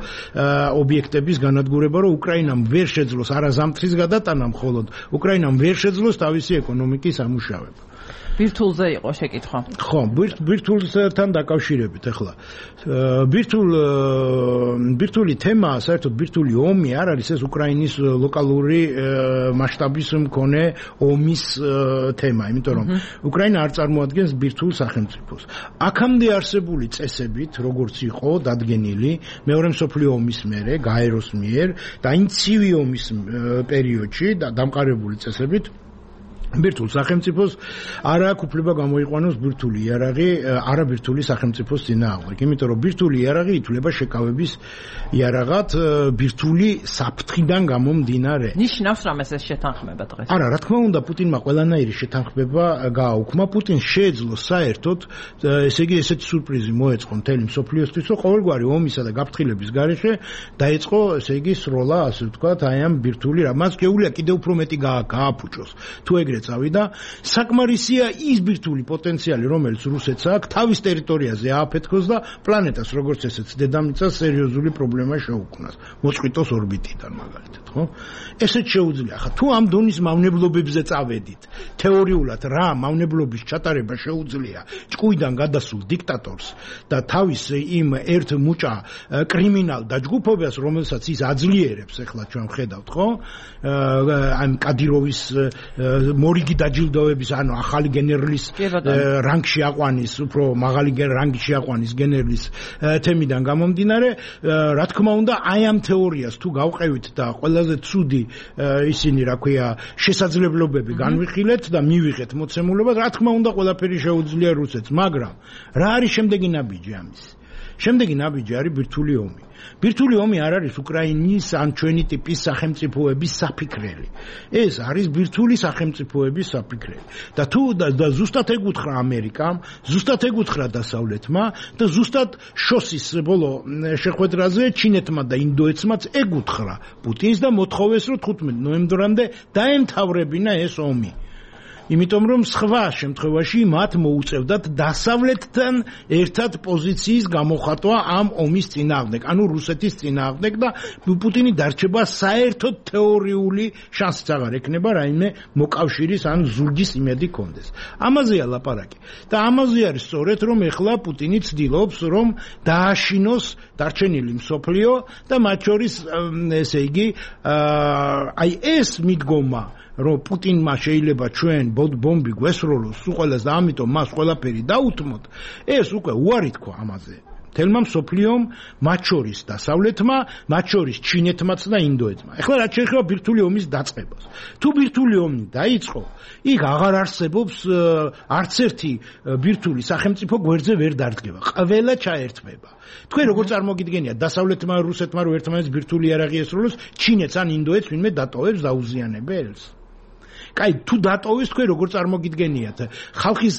ობიექტების განადგურება, რომ უკრაინამ ვერ შეძლოს არა ზამთრის გადატანა, მხოლოდ უკრაინამ ვერ შეძლოს თავისი ეკონომიკის ამუშავება. ბირთულზე იყო შეკითხვა. ხო, ბირთულთან დაკავშირებით ახლა. ბირთული თემა, საერთოდ ბირთული ომი არ არის ეს უკრაინის ლოკალური მასშტაბის მქონე ომის თემა, იმიტომ რომ უკრაინა არ წარმოადგენს ბირთულ სახელმწიფოს. აქამდე არსებული წესებით, როგორც იყო დადგენილი მეორე მსოფლიო ომის მერე, გაეროს მიერ და იმ ცივი ომის პერიოდში და დამყარებული წესებით ბირთულ სახელმწიფოს არ აქვს უფლება გამოიყვანოს ბირთული იარაღი არაბირთული სახელმწიფოს წინააღმდეგ, იმიტომ რომ ბირთული იარაღი ითვლება შეკავების იარაღად ბირთული საფრთხიდან გამომდინარე. ნიშნავს რამეს ეს შეთანხმება დღეს? არა, რა თქმა უნდა, პუტინმა ყველანაირი შეთანხმება გააუქმა. პუტინს შეეძლო საერთოდ, ესე იგი, ესეთი სურპრიზი მოეწყო მთელი მსოფლიოსთვის, რომ ყოველგვარი ომისა და გაფრთხილების გარეშე დაიწყო, ესე იგი, სროლა, ასე ვთქვათ, აი ამ ბირთული რამაც შეუძლია კიდევ უფრო მეტი გააფუჭოს. თუ ეგრე წავიდა, საკმარისია ის ბირთული პოტენციალი, რომელიც რუსეთს აქვს, თავის ტერიტორიაზე ააფეთქოს და პლანეტას, როგორც ესეც დედამიწას სერიოზული პრობლემა შეუქმნას. მოწყვიტოს ორბიტიდან მაგალითად, ხო? ესეც შეუძლია. ხა თუ ამ დონის მავნებლობებზე წავედით, თეორიულად რა მავნებლობის ჩატარება შეუძლია ჭკუიდან გადასულ დიქტატორს და თავის იმ ერთ მუჭა კრიმინალ დაჯგუფებას, რომელსაც ის აძლიერებს, ახლა ჩვენ ხედავთ, ხო? ამ კადიროვის მორიგი დაჯილდოების, ანუ ახალი გენერლის რანგში აყვანის, უფრო მაღალი რანგში აყვანის გენერლის თემიდან გამომდინარე, რა თქმა უნდა, აი ამ თეორიას თუ გავყევით და ყველაზე ცუდი ისინი, რა ქვია, შესაძლებლობები განვიხილეთ და მივიღეთ მოცემულობას, რა თქმა უნდა, ყველაფერი შეუძლია რუსეთს, მაგრამ რა არის შემდეგი ნაბიჯი ამის? შემდეგი ნაბიჯი არის ბირთული ომი. ბირთული ომი არ არის უკრაინის ან ჩვენი ტიპის სახელმწიფოების საფიქრელი. ეს არის ბირთული სახელმწიფოების საფიქრელი. და თუ ზუსტად ეკუთხრა ამერიკამ, ზუსტად ეკუთხრა დასავლეთმა და ზუსტად შოსის ბოლო შეხვედრაზე ჩინეთმა და ინდოეთმაც ეკუთხრა პუტინს და მოთხოვეს, რომ 15 ნოემბრამდე დაემთავრებინა ეს ომი. იმიტომ რომ სხვა შემთხვევაში მათ მოუწევდათ დასავლეთთან ერთად პოზიციის გამოხატვა ამ ომის წინააღმდეგ, ანუ რუსეთის წინააღმდეგ და პუტინი დარჩება საერთოდ თეორიული შანსიც აღარ ექნება რაიმე მოკავშირის ან ზურგის იმედი კონდეს. ამაზეა ლაპარაკი. და ამაზე არის სწორედ რომ ეხლა პუტინი ცდილობს რომ დააშინოს დარჩენილი მსოფლიო და მათ შორის ესე იგი აი ეს მიდგომა რომ პუტინმა შეიძლება ჩვენ ბომბი გვესროლოს უყოლას და ამიტომ მას ყველაფერი დაუთმოთ, ეს უკვე უარი თქვა ამაზე. თელმა მსოფლიომ, მათ შორის დასავლეთმა, მათ შორის ჩინეთმაც და ინდოეთმა. ეხლა რაც შეეხება ბირთული ომის დაწყებას. თუ ბირთული ომი დაიწყო, იქ აღარ არსებობს არც ერთი ბირთული სახელმწიფო გვერდზე ვერ დარდგება. ყველა ჩაერთვება. თქვენ როგორ წარმოგიდგენიათ დასავლეთმა რუსეთმა რო ერთმანეთს ბირთული იარაღი ესროლოს, ჩინეთს ან ინდოეთს ვინმე დატოვებს დაუზიანებელს? კაი, თუ დატოვეს, თქვენ როგორ წარმოგიდგენიათ ხალხის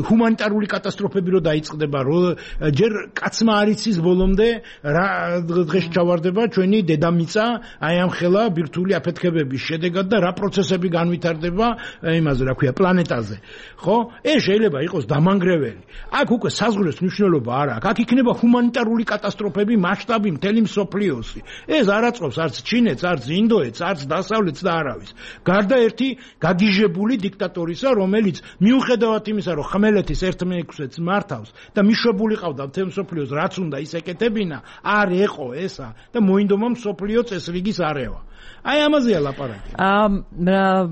ჰუმანიტარული კატასტროფები რო დაიწყდება, რომ ჯერ კაცმა არ იცის ბოლომდე რა დღეს ჩავარდება ჩვენი დედამიწა აი ამ ხელა ბირთული აფეთქებების შედეგად და რა პროცესები განვითარდება იმაზე, რა ქვია, პლანეტაზე. ხო? ეს შეიძლება იყოს დამანგრეველი. აქ უკვე საზღვრების მნიშვნელობა არ აქვს. აქ იქნება ჰუმანიტარული კატასტროფები მასშტაბი მთელი მსოფლიოსი. ეს არ აწყობს არც ჩინეთს, არც ინდოეთს, არც დასავლეთს და არავის. გარდა ერთი გაგიჟებული დიქტატორისა, რომელიც მიუხედავად იმისა, რომ ხმელეთის 1/6-ს მართავს და მიშვებული ყავდა მთელ მსოფლიოს, რაც უნდა ის ეკეთებინა, არ ეყო ესა და მოინდომა მსოფლიო წესრიგის არევა. აი ამაზეა ლაპარაკი.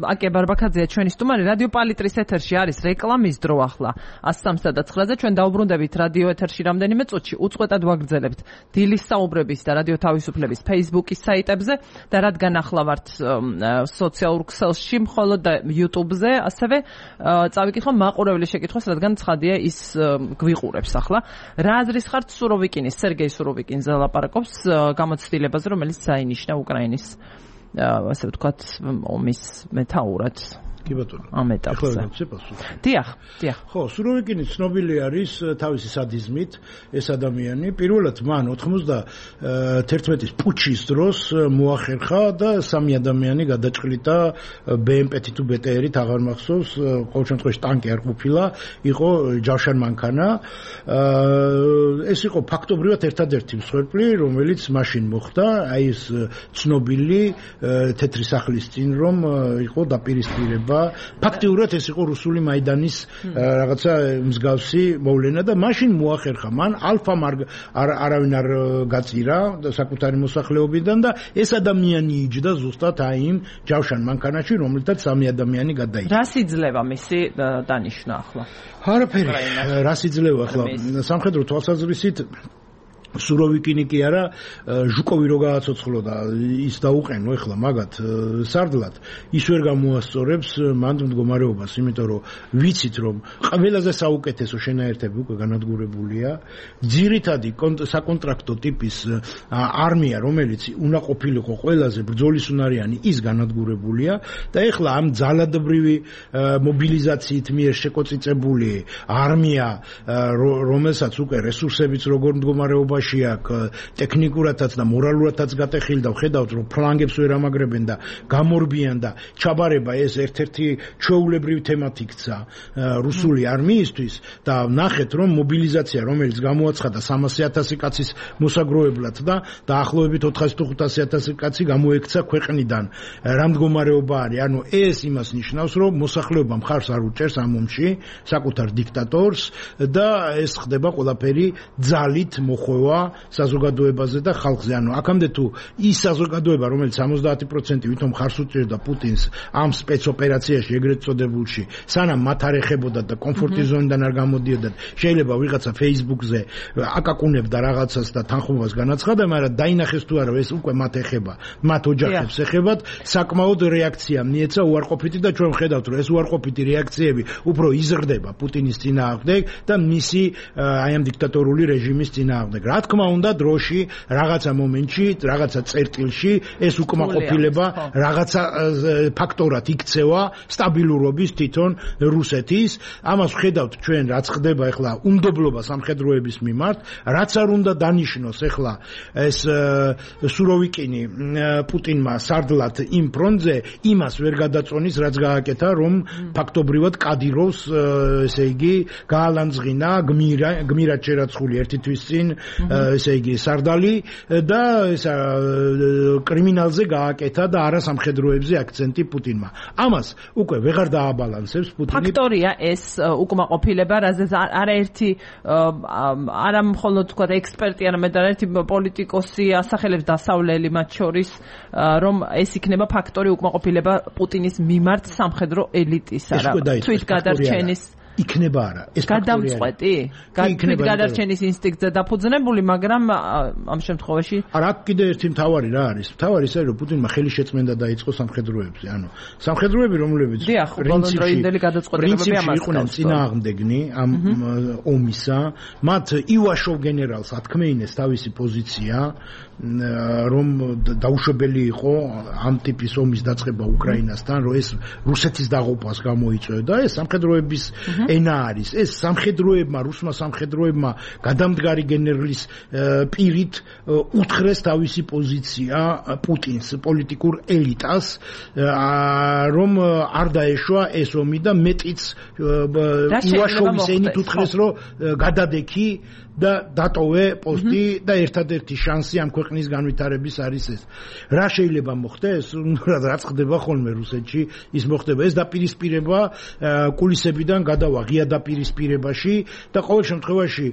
აკე ბარბაქაძეა ჩვენი სტუმარი, რადიო პალიტრის ეთერში არის რეკლამის დრო ახლა 103-9-ზე. ჩვენ დაუბრუნდებით რადიო ეთერში რამდენიმე წუთში, უწყვეტად ვაგრძელებთ დილის საუბრების და რადიო თავისუფლების Facebook-ის საიტებზე და რადგან ახლა ვართ სოციალურ ქსელში, მხოლოდ და YouTube-ზე, ასევე წავიკითხო მაყურებლის შეკითხვას, რადგან ცხადია ის გვიყურებს ახლა. რა აზრის ხართ სუროვიკინის, სერგეი სუროვიკინზე ლაპარაკობს გამოცდილებაზე, რომელიც საინიშნა უკრაინის ასე ვთქვათ ომის მეთაურად. კი ბატონო. ამ ეტაპზე. დიახ. ხო, სუროვიკინი ცნობილი არის თავისი სადიზმით, ეს ადამიანი. პირველად მან 91-ის პუჩის დროს მოახერხა და 3 ადამიანი გადაჭრილდა BMP თუ BTR-ით, აღარ მახსოვს, ყოველ შემთხვევაში ტანკი არ ყოფილა, იყო ჯავშან მანქანა. ეს იყო ფაქტობრივად ერთადერთი მსხვერპლი, რომელიც მაშინ მოხდა, აი ეს ცნობილი თეთრი სახლის წინ რომ იყო დაპირისპირება. ფაქტიურად ეს იყო რუსული მაიდანის რაღაცა მსგავსი მოვლენა და მაშინ მოახერხა მან ალფამ არავინ არ გაწირა საკუთარი მოსახლეობიდან და ეს ადამიანი იჯდა ზუსტად აი იმ ჯავშან მანქანაში, რომელთაც 3 ადამიანი გადაიჭრა. რას იძლევა მისი დანიშვნა ახლა? არაფერი. რას იძლევა ახლა? სამხედრო თვალსაზრისით სუროვიკინი კი არა, ჟუკოვი რო გააცოცხლო და ის დაუყენო ეხლა მაგათ სარდლად, ის ვერ გამოასწორებს მანდ მდგომარეობას, იმიტომ რომ ვიცით რომ ყველაზე საუკეთესო შენაერთები უკვე განადგურებულია, ძირითადი საკონტრაქტო ტიპის არმია, რომელიც უნდა ყოფილიყო ყველაზე ბრძოლისუნარიანი, ის განადგურებულია და ეხლა ამ ძალადობრივი მობილიზაციით მიერ შეკოწიწებული არმია, რომელსაც უკვე რესურსებიც როგორ მდგომარეობა ტექნიკურადაც და მორალურადაც გატეხილი და ვხედავთ რომ ფლანგებს ვერ ამაგრებენ და გამორბიან და ჩაბარება ეს ერთ-ერთი ჩვეულებრივი თემად იქცა რუსული არმიისთვის და ნახეთ რომ მობილიზაცია რომელიც გამოაცხადა 300,000 კაცის მოსაგროებლად და დაახლოებით 400-500,000 კაცი გამოექცა ქვეყნიდან რა მდგომარეობა არის ანუ ეს იმას ნიშნავს რომ მოსახლეობა მხარს არ უჭერს ამ ომში საკუთარ დიქტატორს და ეს ხდება ყველაფერი ძალით მოხვევა საზოგადოებაზე და ხალხზე. ანუ აქამდე თუ ის საზოგადოება, რომელიც 70% ვითომ ხარს უჭერდა პუტინს ამ სპეცოპერაციაში ეგრეთ წოდებულში, სანამ მათ არ ეხებოდათ და კომფორტის ზონიდან არ გამოდიოდათ, შეიძლება ვიღაცა Facebook-ზე აკაკუნებდა რაღაცას და თანხმობას განაცხადა, მაგრამ დაინახეს თუ არა ეს უკვე მათ ეხება, მათ ოჯახებს ეხებათ, საკმაოდ რეაქცია მიეცა უარყოფითი და ჩვენ ვხედავთ, რომ ეს უარყოფითი რეაქციები უფრო იზრდება პუტინის წინააღმდეგ და მისი აი ამ დიქტატორული რეჟიმის წინააღმდეგ. რა თქმა უნდა დროში რაღაცა მომენტში რაღაცა წერტილში ეს უკმაყოფილება რაღაცა ფაქტორად იქცევა სტაბილურობის თვითონ რუსეთის ამას ვხედავთ ჩვენ რაც ხდება ახლა უნდობლობა სამხედროების მიმართ რაც არ უნდა დანიშნოს ახლა ეს სუროვიკინი პუტინმა სარდლად იმ ფრონტზე იმას ვერ გადაწონის რაც გააკეთა რომ ფაქტობრივად კადიროვს ესე იგი გაალანძღინა გმირად შერაცხული ერთი თვის წინ ესე იგი სარდალი და ეს კრიმინალზე გააკეთა და არა სამხედროებზე აქცენტი პუტინმა. ამას უკვე ვეღარ დააბალანსებს პუტინი. ფაქტორია ეს უკმაყოფილება, რაზეც არაერთი არა მხოლოდ თქვა ექსპერტი, არამედ არაერთი პოლიტიკოსი ასახელებს დასავლელი მათ შორის, რომ ეს იქნება ფაქტორი უკმაყოფილება პუტინის მიმართ სამხედრო ელიტისა რა. თვით გადარჩენის იქნება არა ეს გადამწყვეტი თვით გადარჩენის ინსტინქტზე დაფუძნებული მაგრამ ამ შემთხვევაში არა კიდე ერთი მთავარი რა არის მთავარი ისე რომ პუტინმა ხელი შეწმენდა დაიწყო სამხედროებზე ანუ სამხედროები რომლებიც პრინციპში გადაწყვეტილებები ამას იყვნენ წინააღმდეგნი ამ ომისა მათ ივაშოვ გენერალს ათქმეინეს თავისი პოზიცია რომ დაუშვებელი იყო ამ ტიპის ომის დაწყება უკრაინასთან რომ ეს რუსეთის დაღუპვას გამოიწვევდა ეს სამხედროების ენა არის ეს სამხედროებმა რუსმა სამხედროებმა გადამდგარი გენერლის პირით უთხრეს თავისი პოზიცია პუტინს პოლიტიკურ ელიტას რომ არ დაეშვა ეს ომი და მეტიც ივაშოვის ენით უთხრეს რომ გადადექი და დატოვე პოსტი და ერთადერთი შანსი ამ ქვეყნის განვითარების არის ეს. რა შეიძლება მოხდეს? რაც ხდება ხოლმე რუსეთში, ის მოხდება. ეს დაპირისპირება კულისებიდან გადავა ღია დაპირისპირებაში და ყოველ შემთხვევაში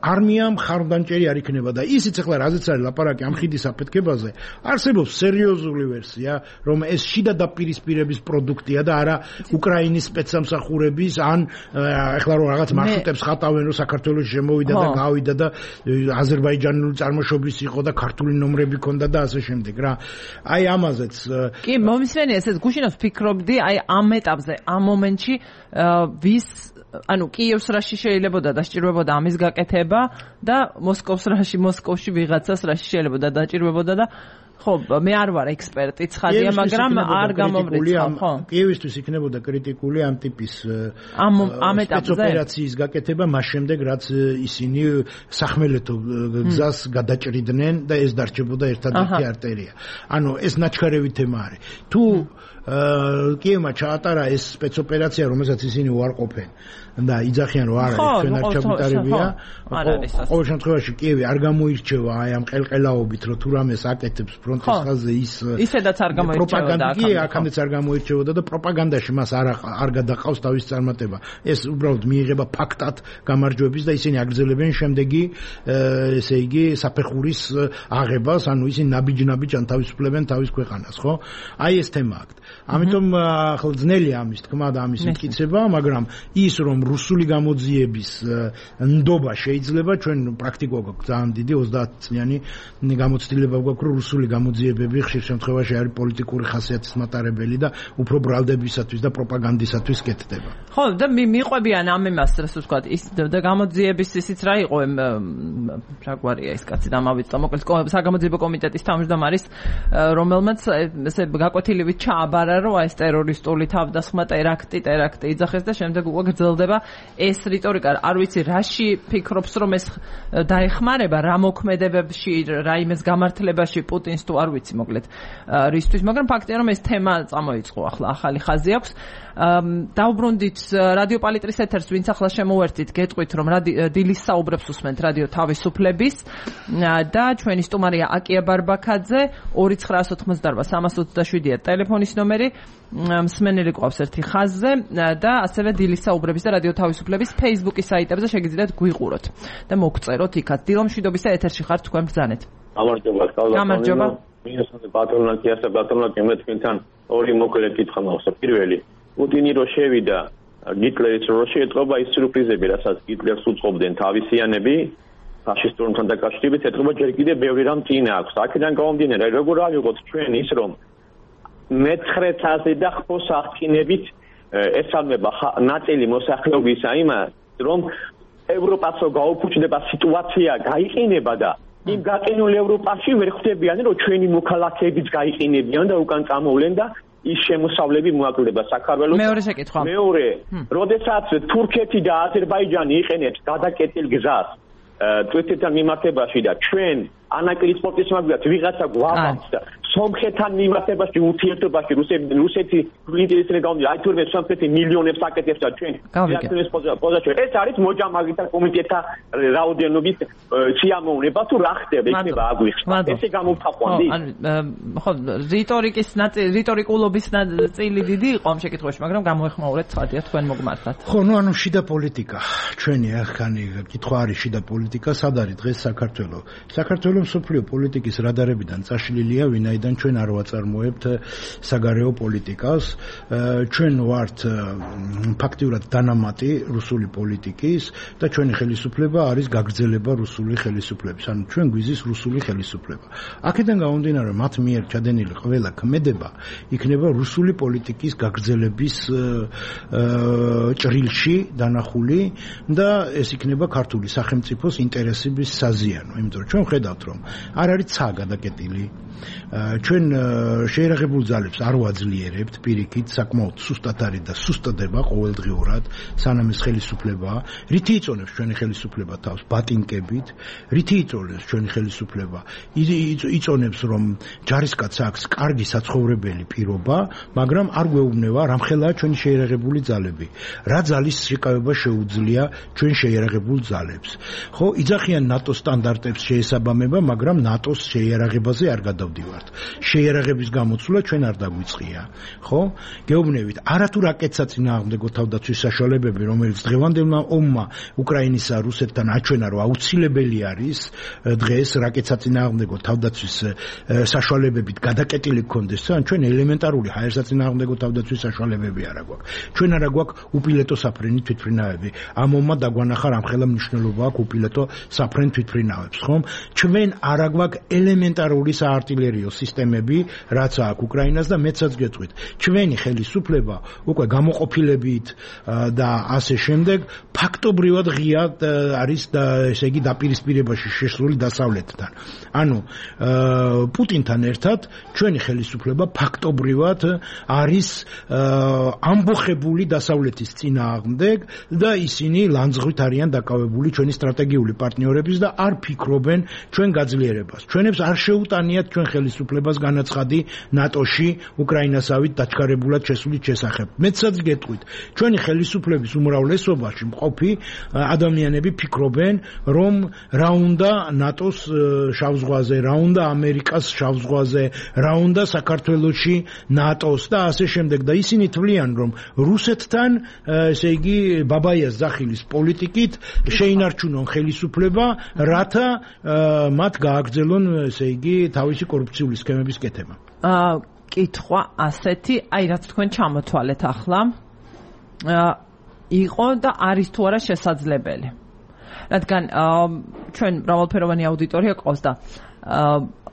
არმიამ ხარდანჭერი არ იქნება და ისიც ახლა რაზეც არის ლაპარაკი ამ ხიდის აფეთქებაზე, არსებობს სერიოზული ვერსია, რომ ეს შიდა დაპირისპირების პროდუქტია და არა უკრაინის სპეცსამსახურების ან ახლა რომ რაღაც მარშრუტებს ხატავენ რომ საქართველოში შემოვიდა და გავიდა და აზერბაიჯანული წარმოშობის იყო და ქართული ნომრები ჰქონდა და ასე შემდეგ რა. აი ამაზეც კი მომისმენია ესეც გუშინავს ფიქრობდი აი ამ ეტაპზე ამ მომენტში ვის ანუ კიევს რაში შეიძლებოდა დასჭირვებოდა ამის გაკეთება და მოსკოვში ვიღაცას რაში შეიძლებოდა დაჭირვებოდა და ხო, მე არ ვარ ექსპერტი ცხადია, მაგრამ არ გამომრიცხავ, ხო? კიევისთვის იქნებოდა კრიტიკული ამ ტიპის ამ ეტაპზე ოპერაციის გაკეთება მას შემდეგ, რაც ისინი სახმელეთო გზას გადაჭრიდნენ და ეს დარჩებოდა ერთადერთი არტერია. ანუ ეს ნაჩქარევი თემა არის. თუ კიევმა ჩაატარა ეს სპეცოპერაცია, რომელსაც ისინი უარყოფენ და იძახიან რომ არა, ჩვენ არ ჩაგუტარებია. ყოველ შემთხვევაში კიევი არ გამოირჩევა აი ამ ყელყელაობით, რომ თუ რამეს აკეთებს ფრონტის ხაზზე ისედაც არ გამოირჩეოდა აქამდეც არ გამოირჩეოდა და პროპაგანდაში მას არ გადაყავს თავის წარმატება. ეს უბრალოდ მიიღება ფაქტად გამარჯვების და ისინი აგრძელებენ შემდეგი ესე იგი საფეხურის აღებას, ანუ ისინი ნაბიჯ-ნაბიჯ ან თავისუფლებენ თავის ქვეყანას, ხო? აი ეს თემა აქვს. ამიტომ ახლა ძნელია ამის თქმა და ამის მტკიცება, მაგრამ ის რომ რუსული გამოძიების ნდობა შეიძლება ჩვენ პრაქტიკულად გვაქვს ძალიან დიდი 30 წლიანი გამოცდილება გვაქვს რომ რუსული გამოძიებები ხშირ შემთხვევაში არის პოლიტიკური ხასიათის მატარებელი და უფრო ბრალდებისათვის და პროპაგანდისათვის კეთდება. ხო და მიყვებიან ამ იმას რას ვთქვათ ის და გამოძიების ისიც რა იყო რა გვარია ეს კაცი დამავიწყდა მოკლედ საგამოძიებო კომიტეტის თავმჯდომარის რომელმაც ესე გაკვეთილივით ჩააბარა რომ ეს ტერორისტული თავდასხმა ტერაქტი იძახეს და შემდეგ უკვე გრძელდება ეს რიტორიკა არ ვიცი რაში ფიქრობს რომ ეს დაეხმარება რა მოქმედებებში რა იმეს გამართლებაში პუტინს თუ არ ვიცი მოკლედ რისთვის მაგრამ ფაქტია რომ ეს თემა წამოიწყო ახლა ახალი ხაზი აქვს დაუბრუნდით რადიო პალიტრის ეთერს ვინც ახლა შემოვერთით გეტყვით რომ დილის საუბრებს უსმენთ რადიო თავისუფლების და ჩვენი სტუმარია აკია ბარბაქაძე 2988-327-ია ტელეფონის ნომერი მსმენელი ყავს ერთი ხაზზე და ასევე დილის საუბრების და რადიო თავისუფლების Facebook-ის საიტებზე შეგიძლიათ გვიყუროთ და მოგწეროთ იქაც დილომშვიდობის ეთერში ხართ თქვენ ბრძანეთ გამარჯობა მინუსამდე პატრონატიას და პატრონატი მე თქვენთან ორი მოკლე კითხვა მაქვს პირველი პუტინი რო შევიდა გიტლერის რო შეეტყობა ის სიურპრიზები რასაც გიტლერს უწყობდნენ თავისიანები ფაშისტურთან დაკავშირებით ეტყობა ჯერ კიდევ ბევრი რამ წინა აქვს აქედან გამომდინარე როგორ ავიღოთ ჩვენ ის რომ მე-19 და ხმოსახკინებით ესალმება ნაწილი მოსახლეობისა იმას რომ ევროპას რო გაუფუჭდება სიტუაცია გაიყინება და იმ გაყინულ ევროპაში ვერ ხვდებიან რომ ჩვენი მოქალაქეებიც გაიყინებიან და უკან წამოვლენ და ის შემოსავლები მოაკლდება საქართველოს მეორე შეკითხვა მეორე როდესაც თურქეთი და აზერბაიჯანი იყენებს გადაკეტილ გზას თურქეთთან მიმართებაში და ჩვენ ანაკლის სპორტის მაგათ ვიღაცა გვაბამს და სომხეთთან მიმართებაში ურთიერთობაში რუსეთი ინტერესები გამომდის აი თურმე სომხეთი მილიონებს აკეთებს და ჩვენ რეაქციის პოზიცია ეს არის მოჯამაგითა კომიტეტთა რაოდენობის სიამოვნება თუ რა ხდება იქნება აგვიხსნა ესე გამოვთაყვანდი ხო რიტორიკის რიტორიკულობის ნაწილი დიდი იყო ამ შეკითხვაში მაგრამ გამოეხმაურეთ ცხადია თქვენ მოგმართათ ხო ნუ ანუ შიდა პოლიტიკა ჩვენი ახანი კითხვა არის შიდა პოლიტიკა სად არის დღეს საქართველოს მსოფლიო პოლიტიკის რადარებიდან წაშლილია ვინაიდან ჩვენ არ ვაწარმოებთ საგარეო პოლიტიკას ჩვენ ვართ ფაქტიურად დანამატი რუსული პოლიტიკის და ჩვენი ხელისუფლება არის გაგრძელება რუსული ხელისუფლების ანუ ჩვენ გვიზის რუსული ხელისუფლება აქედან გამომდინარე რომ მათ მიერ ჩადენილი ყველა ქმედება იქნება რუსული პოლიტიკის გაგრძელების ჭრილში დანახული და ეს იქნება ქართული სახელმწიფოს ინტერესების საზიანო იმიტომ რომ ჩვენ ხედავთ რომ არ არის ცა გადაკეტილი ჩვენ შეერაღებულ ძალებს არ ვაძლიერებთ პირიქით საკმაოდ სუსტად არის და სუსტდება ყოველდღიურად სანამ ეს ხელისუფლება რითი იწონებს ჩვენი ხელისუფლება თავს ბატინკებით რითი იწონებს ჩვენი ხელისუფლება იწონებს რომ ჯარისკაცს აქვს კარგი საცხოვრებელი პირობა მაგრამ არ გვეუბნება რამხელაა ჩვენი შეერაღებული ძალები რა ძალის შეკავება შეუძლია ჩვენ შეერაღებულ ძალებს ხო იძახიან ნატოს სტანდარტებს შეესაბამება მაგრამ ნატოს შეერაღებაზე არ გადავდივართ შეერაღების გამოცვლა ჩვენ არ დაგვიწყია ხო გეუბნებით არათუ რაკეტსა წინააღმდეგო თავდაცვის საშუალებები რომელიც დღევანდელმა ომმა უკრაინისა რუსეთთან აჩვენა რომ აუცილებელი არის დღეს რაკეტსა წინააღმდეგო თავდაცვის საშუალებებით გადაკეტილი გქონდეს ან ჩვენ ელემენტარული ჰაერსა წინააღმდეგო თავდაცვის საშუალებები არა გვაქვს ჩვენ არა გვაქვს უპილოტო საფრენი თვითმფრინავები ამ ომმა დაგვანახა რამხელა მნიშვნელობა აქვს უპილოტო საფრენ თვითმფრინავებს ხომ ჩვენ არა გვაქვს ელემენტარული საარტილერიო სისტემა სისტემები, რაც აქვს უკრაინას და მეცაც გეტყვით. ჩვენი ხელისუფლება უკვე გამოყოფილებით და ასე შემდეგ ფაქტობრივად ღია არის და ესე იგი დაპირისპირებაში შესული დასავლეთთან. ანუ პუტინთან ერთად ჩვენი ხელისუფლება ფაქტობრივად არის ამბოხებული დასავლეთის წინააღმდეგ და ისინი ლანძღვით არიან დაკავებული ჩვენი სტრატეგიული პარტნიორების და არ ფიქრობენ ჩვენ გაძლიერებას. ჩვენებს არ შეუტანიათ ჩვენ ხელისუფლებას განაცხადი ნატოში უკრაინასავით დაჩქარებულად შესulit შესახებ. მეცაც გეტყვით, ჩვენი ხელისუფლების უმრავლესობაში მყოფი ადამიანები ფიქრობენ, რომ რა უნდა ნატოს შავ ზღვაზე, რა უნდა ამერიკას შავ ზღვაზე, რა უნდა საქართველოში ნატოს და ასე შემდეგ და ისინი თვლიან, რომ რუსეთთან, ესე იგი, ბაბაიას ზახილის პოლიტიკით შეინარჩუნონ ხელისუფლება, რათა მათ გააგრძელონ, ესე იგი, თავისი კორუფციული სქემების კეთება. კითხვა ასეთი, აი რაც თქვენ ჩამოთვალეთ ახლა, იყო და არის თუ არა შესაძლებელი. რადგან ჩვენ მრავალფეროვანი აუდიტორია ყავს და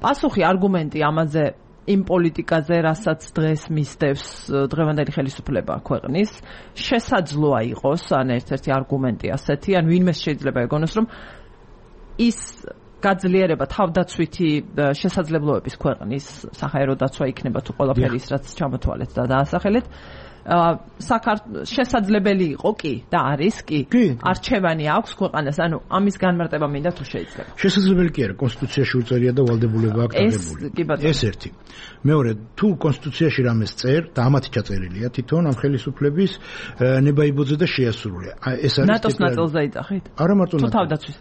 პასუხი არგუმენტი ამაზე იმ პოლიტიკაზე, რასაც დღეს მისდევს დღევანდელი ხელისუფლება ქვეყნის, შესაძლოა იყოს, ან ერთ-ერთი არგუმენტი ასეთი, ან ვინმეს შეიძლება ეგონოს, რომ ის გაძლიერება თავდაცვითი შესაძლებლობების ქვეყნის საჰაერო დაცვა იქნება თუ ყველაფერი ის რაც ჩამოთვალეთ და დაასახელეთ შესაძლებელი იყო კი და არის კი არჩევანი აქვს ქვეყანას ანუ ამის განმარტება მინდა თუ შეიძლება შესაძლებელი კი არა კონსტიტუციაში უწერია და ვალდებულება აქვს აღებული ეს ერთი მეორე თუ კონსტიტუციაში რამეს წერ და ამათი ჩაწერილია თვითონ ამ ხელისუფლების ნებაიბოძე და შეასრულია ეს არის ნატოს ნაწილზე იძახით არა მარტო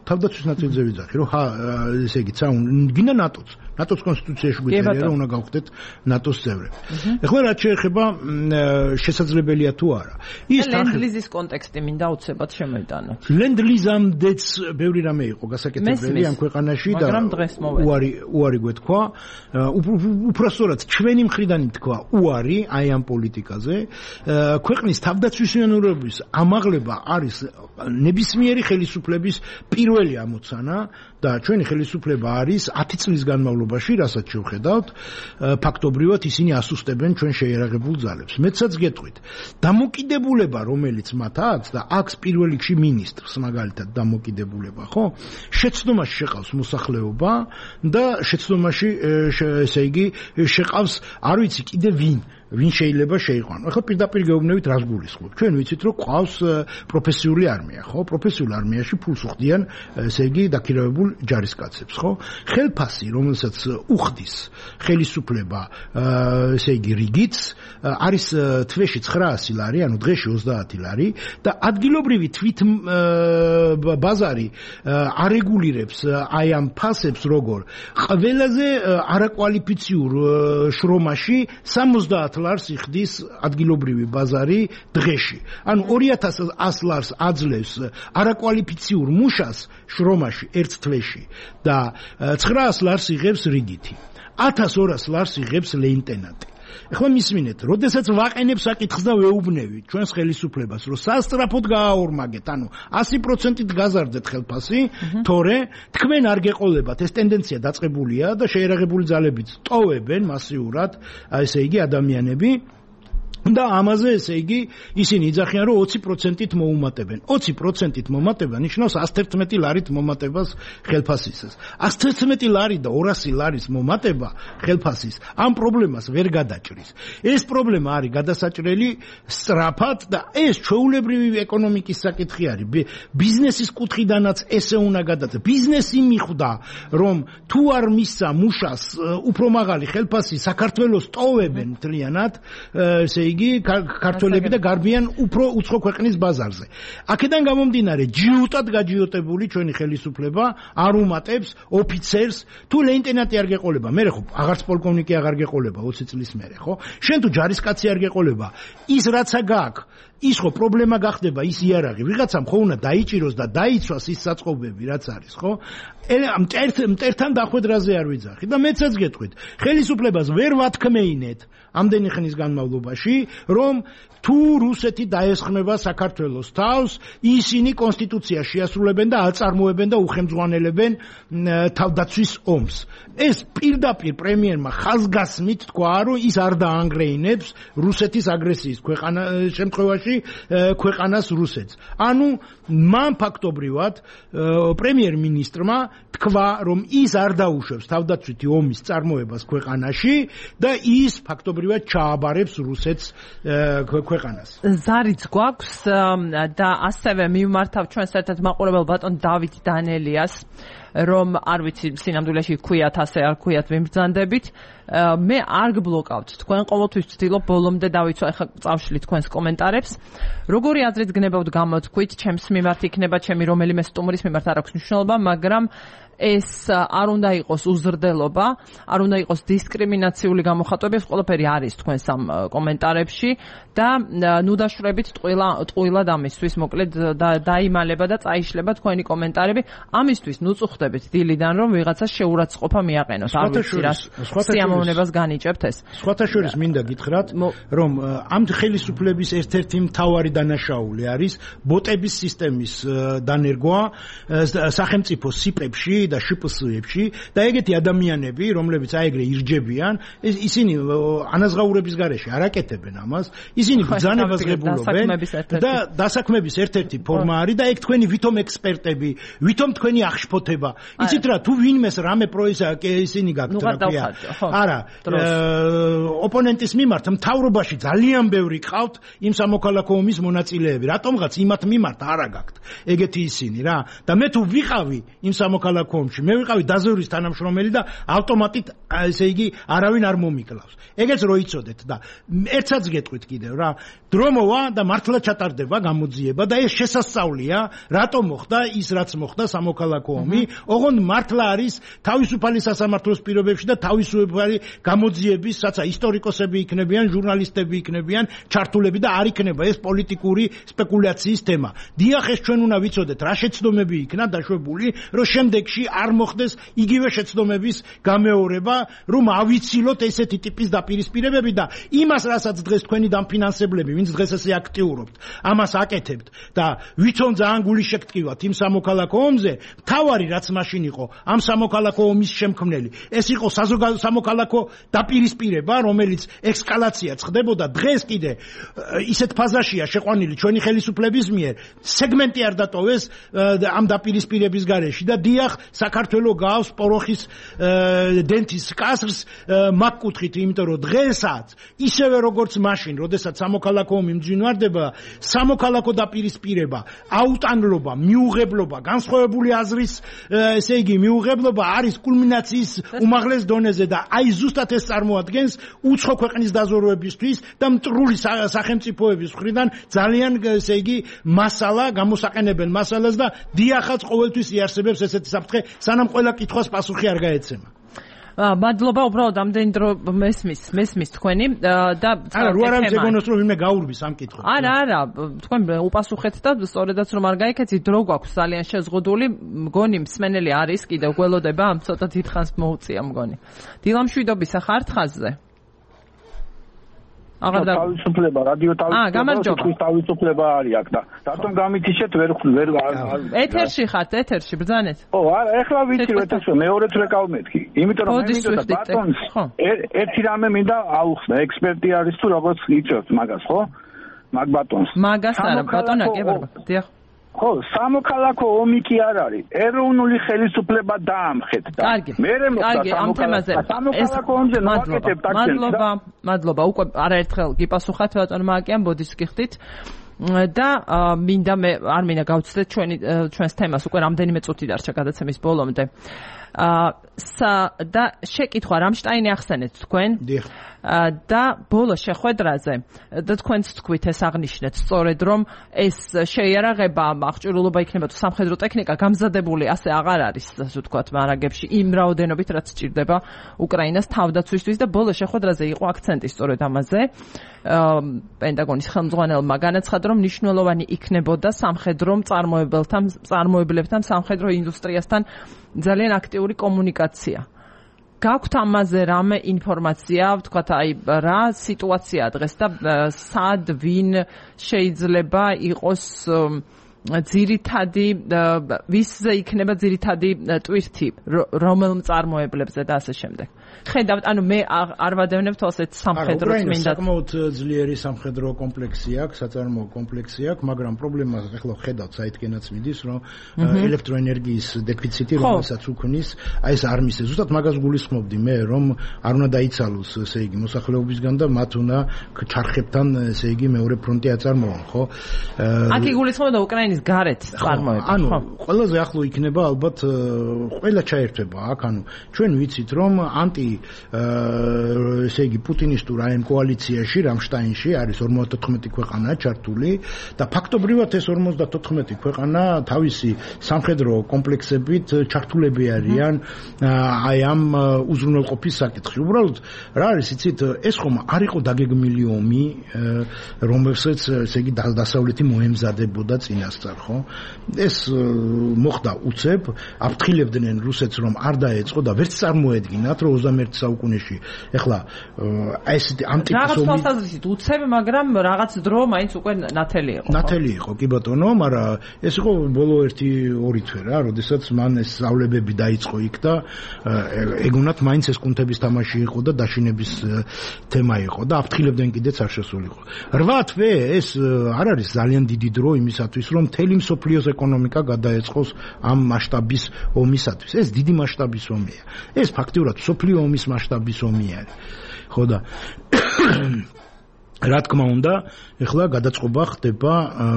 თავდაცვის ნაწილზე ვიძახი რომ ესე იგი გინდა ნატოს კონსტიტუციაში გვიწერია რომ უნდა გავხდეთ ნატოს წევრები ეხლა რაც შეეხება შესაძლებელია თუ არა ის ლენდლიზის კონტექსტი მინდა უცებად შემოიტანოთ ლენდლიზამდეც ბევრი რამე იყო გასაკეთებელი ამ ქვეყანაში და უარი გვეთქვა უпроსტորად ჩვენი მხრიდან თქვა უარი აი ამ პოლიტიკაზე ქვეყნის თავდაცვისმიანურობის ამაღლება არის ნებისმიერი ხელისუფლების პირველი ამოცანა და ჩვენი ხელისუფლება არის 10 წლის განმავლობაში, რასაც შევხედავთ, ფაქტობრივად ისინი ასუსტებენ ჩვენ შეიარაღებულ ძალებს. მეცაც გეტყვით, დამოკიდებულება, რომელიც მათ აქვს და აქვს პირველ რიგში მინისტრს, მაგალითად, დამოკიდებულება, ხო? შეცდომაში შეყავს მოსახლეობა და შეცდომაში ესე იგი შეყავს, არ ვიცი კიდე ვინ შეიძლება შეიყვანო. ახლა პირდაპირ გეუბნებით რას გულისხმობ. ჩვენ ვიცით რომ ყავს პროფესიული არმია, ხო? პროფესიულ არმიაში ფულს უხდიან, ესე იგი, დაქირავებულ ჯარისკაცებს, ხო? ხელფასი, რომელსაც უხდის ხელისუფლება, ესე იგი, რიგიც, არის თვეში 900 ლარი, ანუ დღეში 30 ლარი და ადგილობრივი თვით ბაზარი არეგულირებს აი ამ ფასებს როგორ ყველაზე არაკვალიფიციურ შრომაში 70 ლარს იხდის ადგილობრივი ბაზარი დღეში. ანუ 2100 ლარს აძლევს არაკვალიფიციურ მუშას შრომაში ერთ თვეში და 900 ლარს იღებს რიგითი. 1200 ლარს იღებს ლეიტენანტი. ეხლა მისმინეთ, როდესაც ვაყენებ საკითხს და ვეუბნევი ჩვენს ხელისუფლებას, რომ სასტრაფოდ გააორმაგეთ, ანუ 100%-ით გაზარდეთ ხელფასი, თორე თქვენ არ გეყოლებათ, ეს ტენდენცია დაწყებულია და შეიარაღებული ძალებიც ტოვებენ მასიურად, ესე იგი ადამიანები და ამაზე ესე იგი ისინი იძახიან რომ 20%-ით მოუმატებენ. 20%-ით მომატება ნიშნავს 111 ლარით მომატებას ხელფასისას. 111 ლარი და 200 ლარის მომატება ხელფასის ამ პრობლემას ვერ გადაჭრის. ეს პრობლემა არის გადასაჭრელი სწრაფად და ეს ჩვეულებრივი ეკონომიკის საკითხი არის. ბიზნესის კუთხიდანაც ესე უნდა გადაჭრეს. ბიზნესი მიხვდა რომ თუ არ მისცა მუშას უფრო მაღალი ხელფასი საქართველოს ტოვებენ მთლიანად ესე იგი ქართველები და გარბიან უფრო უცხო ქვეყნის ბაზარზე. აქედან გამომდინარე ჯიუტად გაჯიოტებული ჩვენი ხელისუფლება არ უმატებს ოფიცერს თუ ლეიტენანტი არ გეყოლება. მე ხო აღარც პოლკოვნიკი აღარ გეყოლება 20 წლის მერე, ხო? შენ თუ ჯარისკაცი არ გეყოლება, ის რაცა გაქვს ის ხო პრობლემა გახდება ის იარაღი ვიღაცამ ხო უნდა დაიჭიროს და დაიცვას ის საწყობები რაც არის ხო მტერთან დახვედრაზე არ ვიძახი და მეცაც გეტყვით ხელისუფლებას ვერ ვათქმეინეთ ამდენი ხნის განმავლობაში რომ თუ რუსეთი დაესხმება საქართველოს თავს ისინი კონსტიტუციას შეასრულებენ და აწარმოებენ და უხელმძღვანელებენ თავდაცვის ომს ეს პირდაპირ პრემიერმა ხაზგასმით თქვა რომ ის არ დაანგრეინებს რუსეთის აგრესიის შემთხვევაში ქვეყანას რუსეთს ანუ მან ფაქტობრივად პრემიერ-მინისტრმა თქვა რომ ის არ დაუშვებს თავდაცვითი ომის წარმოებას ქვეყანაში და ის ფაქტობრივად ჩააბარებს რუსეთს ქვეყანას. ზარიც გვაქვს და ასევე მივმართავ ჩვენს ერთ-ერთ მაყურებელ ბატონ დავით დანელიას რომ არ ვიცი სინამდვილეში ქვიათ ასე არ ქვიათ ვიმბრძანდებით მე არ გბლოკავთ თქვენ ყოველთვის ვცდილობ ბოლომდე დავიცვა ეხლა წავშლით თქვენს კომენტარებს როგორი აზრით გნებავთ გამოთქვით ჩემს მიმართ იქნება ჩემი რომელიმე სტუმრის მიმართ არ აქვს მნიშვნელობა მაგრამ ეს არ უნდა იყოს უზრდელობა, არ უნდა იყოს დისკრიმინაციული გამოხატვები, ეს ყველაფერი არის თქვენს ამ კომენტარებში და ნუ დაშვრებით ტყუილად ამისთვის, მოკლედ დაიმალება და წაიშლება თქვენი კომენტარები. ამისთვის ნუ წუხდებით დილიდან რომ ვიღაცას შეურაცხყოფა მიაყენოს. არ ვიცი რა სიამოვნებას განიჭებთ ეს. სხვათა შორის მინდა გითხრათ, რომ ამ ხელისუფლების ერთ-ერთი მთავარი დანაშაული არის ბოტების სისტემის დანერგვა სახელმწიფო სიპებში და შპსებში და ეგეთი ადამიანები, რომლებიც აეგრე ირჯებიან, ისინი ანაზღაურების გარეშე არ აკეთებენ ამას, ისინი ბრძანებას ღებულობენ და დასაქმების ერთ-ერთი ფორმა არის და ეგ თქვენი ვითომ ექსპერტები, ვითომ თქვენი აღშფოთება. იცით რა, თუ ვინმეს რამე ისინი გაქვთ რა. არა, ოპონენტის მიმართ მთავრობაში ძალიან ბევრი ყავთ იმ სამოქალაქო ომის მონაწილეები. რატომღაც იმათ მიმართ არა გაქვთ ეგეთი ისინი რა. და მე თუ ვიყავი იმ სამოქალაქო ომში, მე ვიყავი დაზვერვის თანამშრომელი და ავტომატით ესე იგი არავინ არ მომიკლავს. ეგეც რო იცოდეთ და ერთსაც გეტყვით კიდევ რა, დრო მოვა და მართლა ჩატარდება გამოძიება და ეს შესასწავლია, რატომ მოხდა ის რაც მოხდა სამოქალაქო ომი, ოღონდ მართლა არის თავისუფალი სასამართლოს პირობებში და თავისუფალი გამოძიების, რაცა ისტორიკოსები იქნებიან, ჟურნალისტები იქნებიან, ჩართულები და არ იქნება ეს პოლიტიკური სპეკულაციის თემა. დიახ, ეს ჩვენ უნდა ვიცოდეთ, რა შეცდომები იქნა დაშვებული, რომ შემდეგში არ მოხდეს იგივე შეცდომების გამეორება, რომ ავიცილოთ ესეთი ტიპის დაპირისპირებები და იმას, რასაც დღეს თქვენი დამფინანსებლები, ვინც დღეს ესე აქტიურობთ, ამას აკეთებთ და ვითომ ძალიან გული შეგტკივათ იმ სამოქალაქო ომზე, თავარი რაც მაშინ იყო, ამ სამოქალაქო ომის შემქმნელი, ეს იყო სამოქალაქო დაპირისპირება, რომელიც ექსკალაციაც ხდებოდა დღეს კიდე ისეთ ფაზაშია შეყვანილი ჩვენი ხელისუფლების მიერ, სეგმენტი არ დატოვეს ამ დაპირისპირების გარეშე და დიახ, საქართველოს გავს პოროხის დენთის კასრს მაგკუთხით, იმიტომ რომ დღესაც ისევე როგორც მაშინ, როდესაც სამოქალაქო ომი მძვინვარდება, სამოქალაქო დაპირისპირება, აუტანლობა, მიუღებლობა, განსხვავებული აზრის, ესე იგი, მიუღებლობა არის კულმინაციის უმაღლეს დონეზე და აი ზუსტად ეს წარმოადგენს უცხო ქვეყნის დაზვერვებისთვის და მტრული სახელმწიფოების მხრიდან ძალიან, ესე იგი, მასალა, გამოსაყენებელ მასალას და დიახაც ყოველთვის იარსებებს ესეთი საფრთხე, სანამ ყველა კითხვას პასუხი არ გაეცემა. მადლობა, უბრალოდ ამდენი დრო მესმის თქვენი და არა, რო არ ამზეგონოს რომ ვინმე გაურბის ამ კითხვას. არა, თქვენ უპასუხეთ და სწორედაც რომ არ გაიქეცით, დრო გვაქვს ძალიან შეზღუდული, მგონი მსმენელი არის, კიდევ გველოდება, ამ ცოტა დიდხანს მოუწია მგონი. დილამშვიდობის ახართ ხაზზე. თავისუფლება, რადიო თავისუფლება, თავისუფლება არის აქ და რატომ გამითიშეთ ვერ ეთერში ხართ, ეთერში ბრძანეთ. ო, არა, ეხლა ვიცი რომ ეთერში მეორეც რეკავ მეთქი. იმიტომ რომ მე მინდა ბატონს ერთი რამე მინდა აუხსნა, ექსპერტი არის თუ როგორც იცით მაგას, ხო? მაგ ბატონს. მაგას არა, ბატონა კი ბარბა. დიახ. ხო, სამოქალაქო ომი კი არ არის. ეროვნული ხელისუფლება დაამხეთ და მერე მოხდა სამოქალაქო ომზე ნაკეთებ ტაქსებს. მადლობა, უკვე არაერთხელ გიპასუხათ ბატონმა აკიან, ბოდიშს გიხდით. და მინდა მე არ მინდა გავცდეთ ჩვენს თემას, უკვე რამდენიმე წუთი დარჩა გადაცემის ბოლომდე. და შეკითხვა რამშტაინი ახსენეთ თქვენ? დიახ. და ბოლო შეხვედრაზე და თქვენც თქვით ეს აღნიშნეთ სწორედ რომ ეს შეიარაღება აღჭურვილობა იქნება თუ სამხედრო ტექნიკა გამზადებული ასე აღარ არის ასე ვთქვათ მარაგებში იმ რაოდენობით რაც სჭირდება უკრაინას თავდაცვისთვის და ბოლო შეხვედრაზე იყო აქცენტი სწორედ ამაზე პენტაგონის ხელმძღვანელმა განაცხადა რომ მნიშვნელოვანი იქნებოდა სამხედრო მწარმოებლებთან სამხედრო ინდუსტრიასთან ძალიან აქტიური კომუნიკაცია გაქვთ ამაზე რამე ინფორმაცია, ვთქვათ, აი რა სიტუაცია დღეს და სად ვინ შეიძლება იყოს ძირითადი ვისზე იქნება ძირითადი ტვირთი რომელ მწარმოებლებზე და ასე შემდეგ. ხედავთ, ანუ მე არ ვადევნებ თვალსეთ სამხედრო წმინდად. საკმაოდ ძლიერი სამხედრო კომპლექსი აქვს, საწარმოო კომპლექსი აქვს, მაგრამ პრობლემა ახლა ხედავთ საითკენაც მიდის, რომ ელექტროენერგიის დეფიციტი რომელსაც უქმნის, აი ეს არ მისცეს. ზუსტად მაგას გულისხმობდი მე, რომ არ უნდა დაიცალოს, ესე იგი, მოსახლეობისგან და მათ უნდა ჩარხებთან, ესე იგი, მეორე ფრონტი აწარმოონ, ხო? აქ იგულისხმება უკრაინის გარეთ წარმოება. ანუ ყველაზე ახლო იქნება ალბათ ყველა ჩაერთვება აქ, ანუ ჩვენ ვიცით, რომ ესე იგი პუტინისტურ ამ კოალიციაში რამშტაინში არის 54 ქვეყანა ჩართული და ფაქტობრივად ეს 54 ქვეყანა თავისი სამხედრო კომპლექსებით ჩართულები არიან აი ამ უზრუნველყოფის საკითხში. უბრალოდ რა არის იცით ეს ხომ არ იყო დაგეგმილი ომი რომელსაც ესე იგი დასავლეთი მოემზადებოდა წინასწარ ხო? ეს მოხდა უცებ აფრთხილებდნენ რუსეთს რომ არ დაეწყო და ვერც წარმოედგინათ 21 საუკუნეში. ეხლა ეს ამტკიცომი რაღაც თვალსაზრისით უცებ, მაგრამ რაღაც დრო მაინც უკვე ნათელი იყო. ნათელი იყო, კი ბატონო, მაგრამ ეს იყო ბოლო 1-2 თვე რა, როდესაც მან ეს სწავლებები დაიწყო იქ და ეგონათ მაინც ეს კუნთების თამაში იყო და დაშინების თემა იყო და აფრთხილებდნენ კიდეც არ შესულიყო. 8 თვე ეს არ არის ძალიან დიდი დრო იმისათვის, რომ მთელი მსოფლიოს ეკონომიკა გადაეწყოს ამ მასშტაბის ომისათვის. ეს დიდი მასშტაბის ომია. ეს ფაქტიურად მსოფლიო ომის მასშტაბის ომი არის. ხო და რა თქმა უნდა, ეხლა გადაწყობა ხდება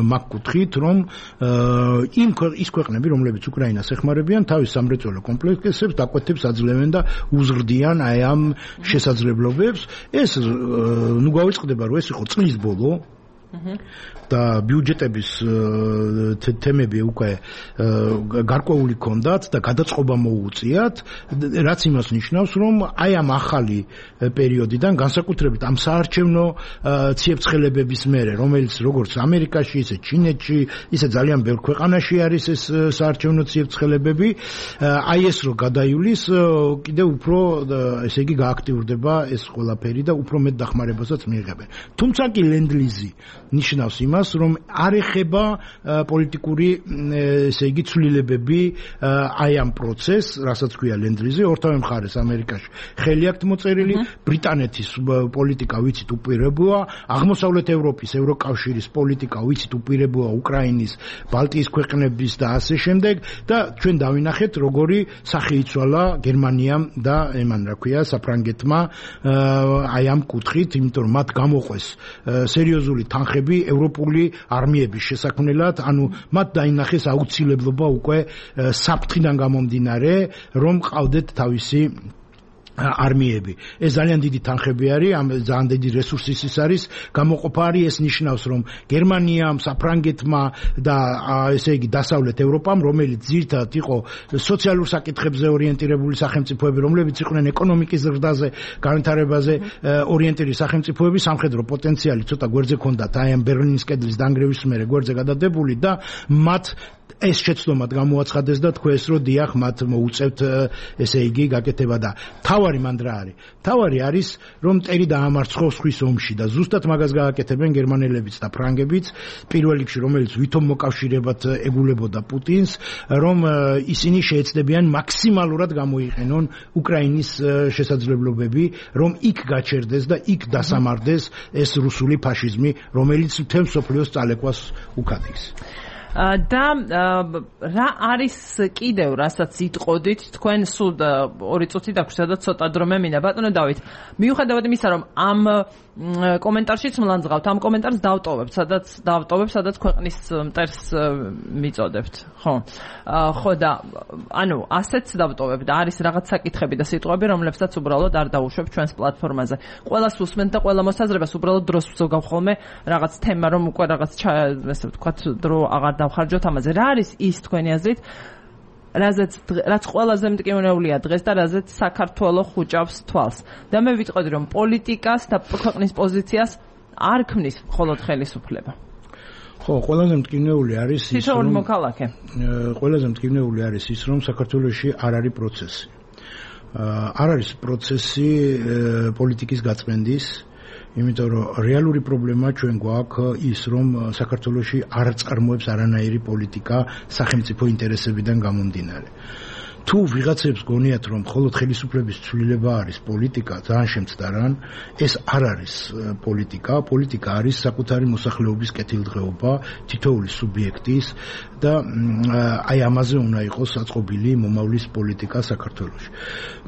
მაგ კუთხით, რომ ის ქვეყნები, რომლებიც უკრაინას ეხმარებიან, თავის სამრეწველო კომპლექსებს დაკვეთებს აძლევენ და უზრდიან აი ამ შესაძლებლობებს. ეს ნუ გავიწყდება, რომ ეს იყო წლის ბოლო და ბიუჯეტების თემები უკვე გარკვეული ქონდათ და გადაწყობა მოუწიათ, რაც იმას ნიშნავს, რომ აი ამ ახალი პერიოდიდან განსაკუთრებით ამ საარჩევნო ციებ-ცხელებების მერე, რომელიც როგორც ამერიკაში, ისე ჩინეთში, ისე ძალიან ბევრ ქვეყანაში არის ეს საარჩევნო ციებ-ცხელებები, აი ეს რო გადაივლის, კიდევ უფრო ესე იგი გააქტიურდება ეს ყველაფერი და უფრო მეტ დახმარებასაც მიიღებენ. თუმცა კი ლენდლიზი ნიშნავს იმას, რომ არ ეხება პოლიტიკური ესე იგი ცვლილებები აი ამ პროცესს, რასაც ქვია ლენდლიზი, ორთავე მხარეს ამერიკაში ხელი აქვს მოწერილი, ბრიტანეთის პოლიტიკა ვიცით უპირებოა, აღმოსავლეთ ევროპის ევროკავშირის პოლიტიკა ვიცით უპირებოა უკრაინის, ბალტიის ქვეყნების და ასე შემდეგ და ჩვენ დავინახეთ როგორი სახე იცვალა გერმანიამ და იმან რა ქვია საფრანგეთმა აი ამ კუთხით, იმიტომ რომ მათ გამოყვეს სერიოზული თანხები ევროპული არმიების შესაქმნელად, ანუ მათ დაინახეს აუცილებლობა უკვე საფრთხიდან გამომდინარე, რომ ყავდეთ თავისი არმიები. ეს ძალიან დიდი თანხები არის, ძალიან დიდი რესურსის ის არის, გამოყოფა არის, ეს ნიშნავს, რომ გერმანიამ, საფრანგეთმა და ესე იგი დასავლეთ ევროპამ, რომელიც ძირითადად იყო სოციალურ საკითხებზე ორიენტირებული სახელმწიფოები, რომლებიც იყვნენ ეკონომიკის ზრდაზე, განვითარებაზე ორიენტირებული სახელმწიფოები, სამხედრო პოტენციალი ცოტა გვერდზე ჰქონდათ, აი ამ ბერლინის კედლის დანგრევის მერე გვერდზე გადადებული და მათ ეს შეცდომად გამოაცხადეს და თქვეს, რომ დიახ, მათ მოუწევთ ესე იგი გაკეთება და თავარი მან რა არის? თავარი არის, რომ მტერი დაამარცხოს ხვის ომში და ზუსტად მაგას გააკეთებენ გერმანელებიც და ფრანგებიც, პირველ რიგში, რომელიც ვითომ მოკავშირებად ეგულებოდა პუტინს, რომ ისინი შეეცდებიან მაქსიმალურად გამოიყენონ უკრაინის შესაძლებლობები, რომ იქ გაჩერდეს და იქ დასამარდეს ეს რუსული ფაშიზმი, რომელიც მთელ მსოფლიოს წალეკვას უკաթის. და რა არის კიდევ რასაც იტყოდით თქვენ სულ 2 წუთი დაგვჭირდა და ცოტა დრო მემინა ბატონო დავით მიუხედავად იმისა რომ ამ კომენტარშიც მლანძღავთ. ამ კომენტარს დავტოვებთ, სადაც ქვეყნის მტერს მიწოდებთ. ხო და ანუ ასეც დავტოვებთ. არის რაღაც საკითხები და სიტყვები, რომლებსაც უბრალოდ არ დავუშვებ ჩვენს პლატფორმაზე. ყველას უსმენთ და ყველა მოსაზრებას უბრალოდ დროს ვზოგავ ხოლმე რაღაც თემა, რომ უკვე რაღაც ესე ვთქვათ, დრო აღარ დავხარჯოთ ამაზე. რა არის ის თქვენი აზრით? რაც ყველაზე მტკივნეულია დღეს და რაზეც საქართველოს ხუჭავს თვალს. და მე ვიტყოდი, რომ პოლიტიკას და ქვეყნის პოზიციას არ ქმნის მხოლოდ ხელისუფლება. ხო, ყველაზე მტკივნეული არის ის, რომ მოქალაქე. ყველაზე მტკივნეული არის ის, რომ საქართველოში არ არის პროცესი. არ არის პროცესი პოლიტიკის გაწმენდის, იმიტომ რომ რეალური პრობლემა ჩვენ გვაქვს ის, რომ საქართველოში არ წარმოებს არანაირი პოლიტიკა სახელმწიფო ინტერესებიდან გამომდინარე. თუ ვიღაცებს გონიათ, რომ მხოლოდ ხელისუფლების ცვლილება არის პოლიტიკა, ძალიან შემცდარან, ეს არ არის პოლიტიკა. პოლიტიკა არის საკუთარი მოსახლეობის კეთილდღეობა, თითოეული სუბიექტის და აი ამაზე უნდა იყოს საწყობილი მომავლის პოლიტიკა საქართველოში.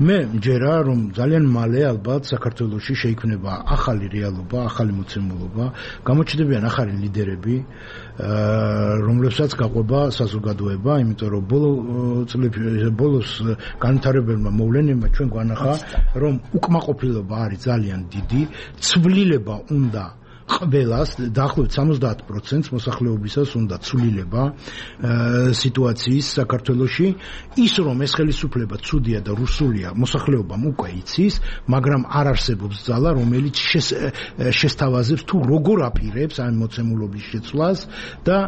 მე მჯერა, რომ ძალიან მალე ალბათ საქართველოში შეიქმნება ახალი რეალობა, ახალი მოცემულობა, გამოჩნდებიან ახალი ლიდერები, რომლებსაც გაყვება საზოგადოება, იმიტომ რომ ბოლოს განვითარებელმა მოვლენებმა ჩვენ გვანახა, რომ უკმაყოფილება არის ძალიან დიდი, ცვლილება უნდა ყველას, დაახლოებით 70% მოსახლეობისას უნდა ცვლილება სიტუაციის საქართველოში, ის რომ ეს ხელისუფლება ცუდია და რუსულია, მოსახლეობამ უკვე იცის, მაგრამ არ არსებობს ძალა, რომელიც შესთავაზებს თუ როგორ აპირებს ამ მოცემულობის შეცვლას და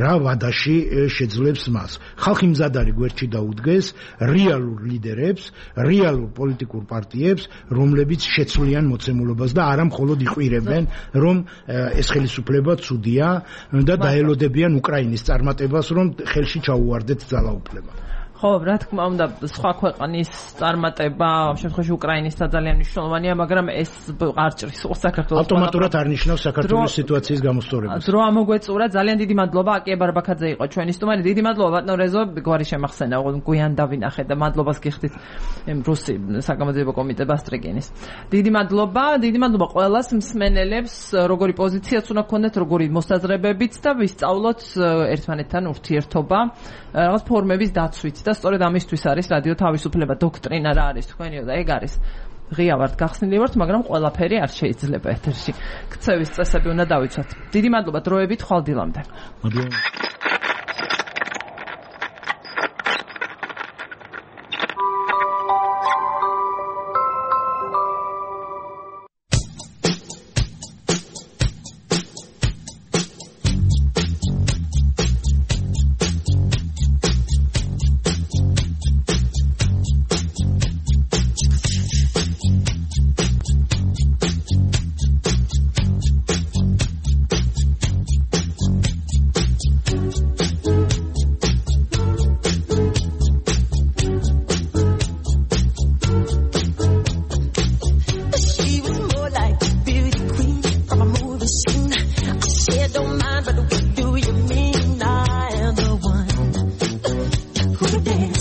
რა ვადაში შეძლებს მას. ხალხი მზად არის გვერდში დაუდგეს რეალურ ლიდერებს, რეალურ პოლიტიკურ პარტიებს, რომლებიც შეცვლიან მოცემულობას და არა მხოლოდ რომ ეს ხელისუფლება ცუდია და დაელოდებიან უკრაინის წარმატებას, რომ ხელში ჩაუვარდეთ ძალაუფლება. ხო, რა თქმა უნდა, სხვა ქვეყნის წარმატება, ამ შემთხვევაში უკრაინისა ძალიან მნიშვნელოვანია, მაგრამ ეს არ ჭრის საქართველოს ავტომატურად არ ნიშნავს საქართველოს სიტუაციის გამოსწორებას. დრო ამოგვეწურა, ძალიან დიდი მადლობა, აკია ბარბაქაძე იყო ჩვენი სტუმარი. დიდი მადლობა ბატონ რეზო, გვარი შემახსენა, გვიან დავინახე და მადლობას გიხდით რუსი საგამოძიებო კომიტეტ ბასტრიკინის. დიდი მადლობა ყველას მსმენელებს, როგორი პოზიციაც უნდა გქონდეთ, როგორი მოსაზრებებიც და ვისწავლოთ ერთმანეთთან ურთიერთობა, რაღაც ფორმების დაცვით. და სწორედ ამისთვის არის რადიო თავისუფლება დოქტრინა რა არის თქვენიო და ეგ არის ღია ვართ გახსნილი ვართ, მაგრამ ყველაფერი არ შეიძლება ეთერში. ქცევის წესები უნდა დავიცვათ. დიდი მადლობა დროებით ხვალდილამდე. მადლობა. Don't mind, but what do you mean I am the one who would dance?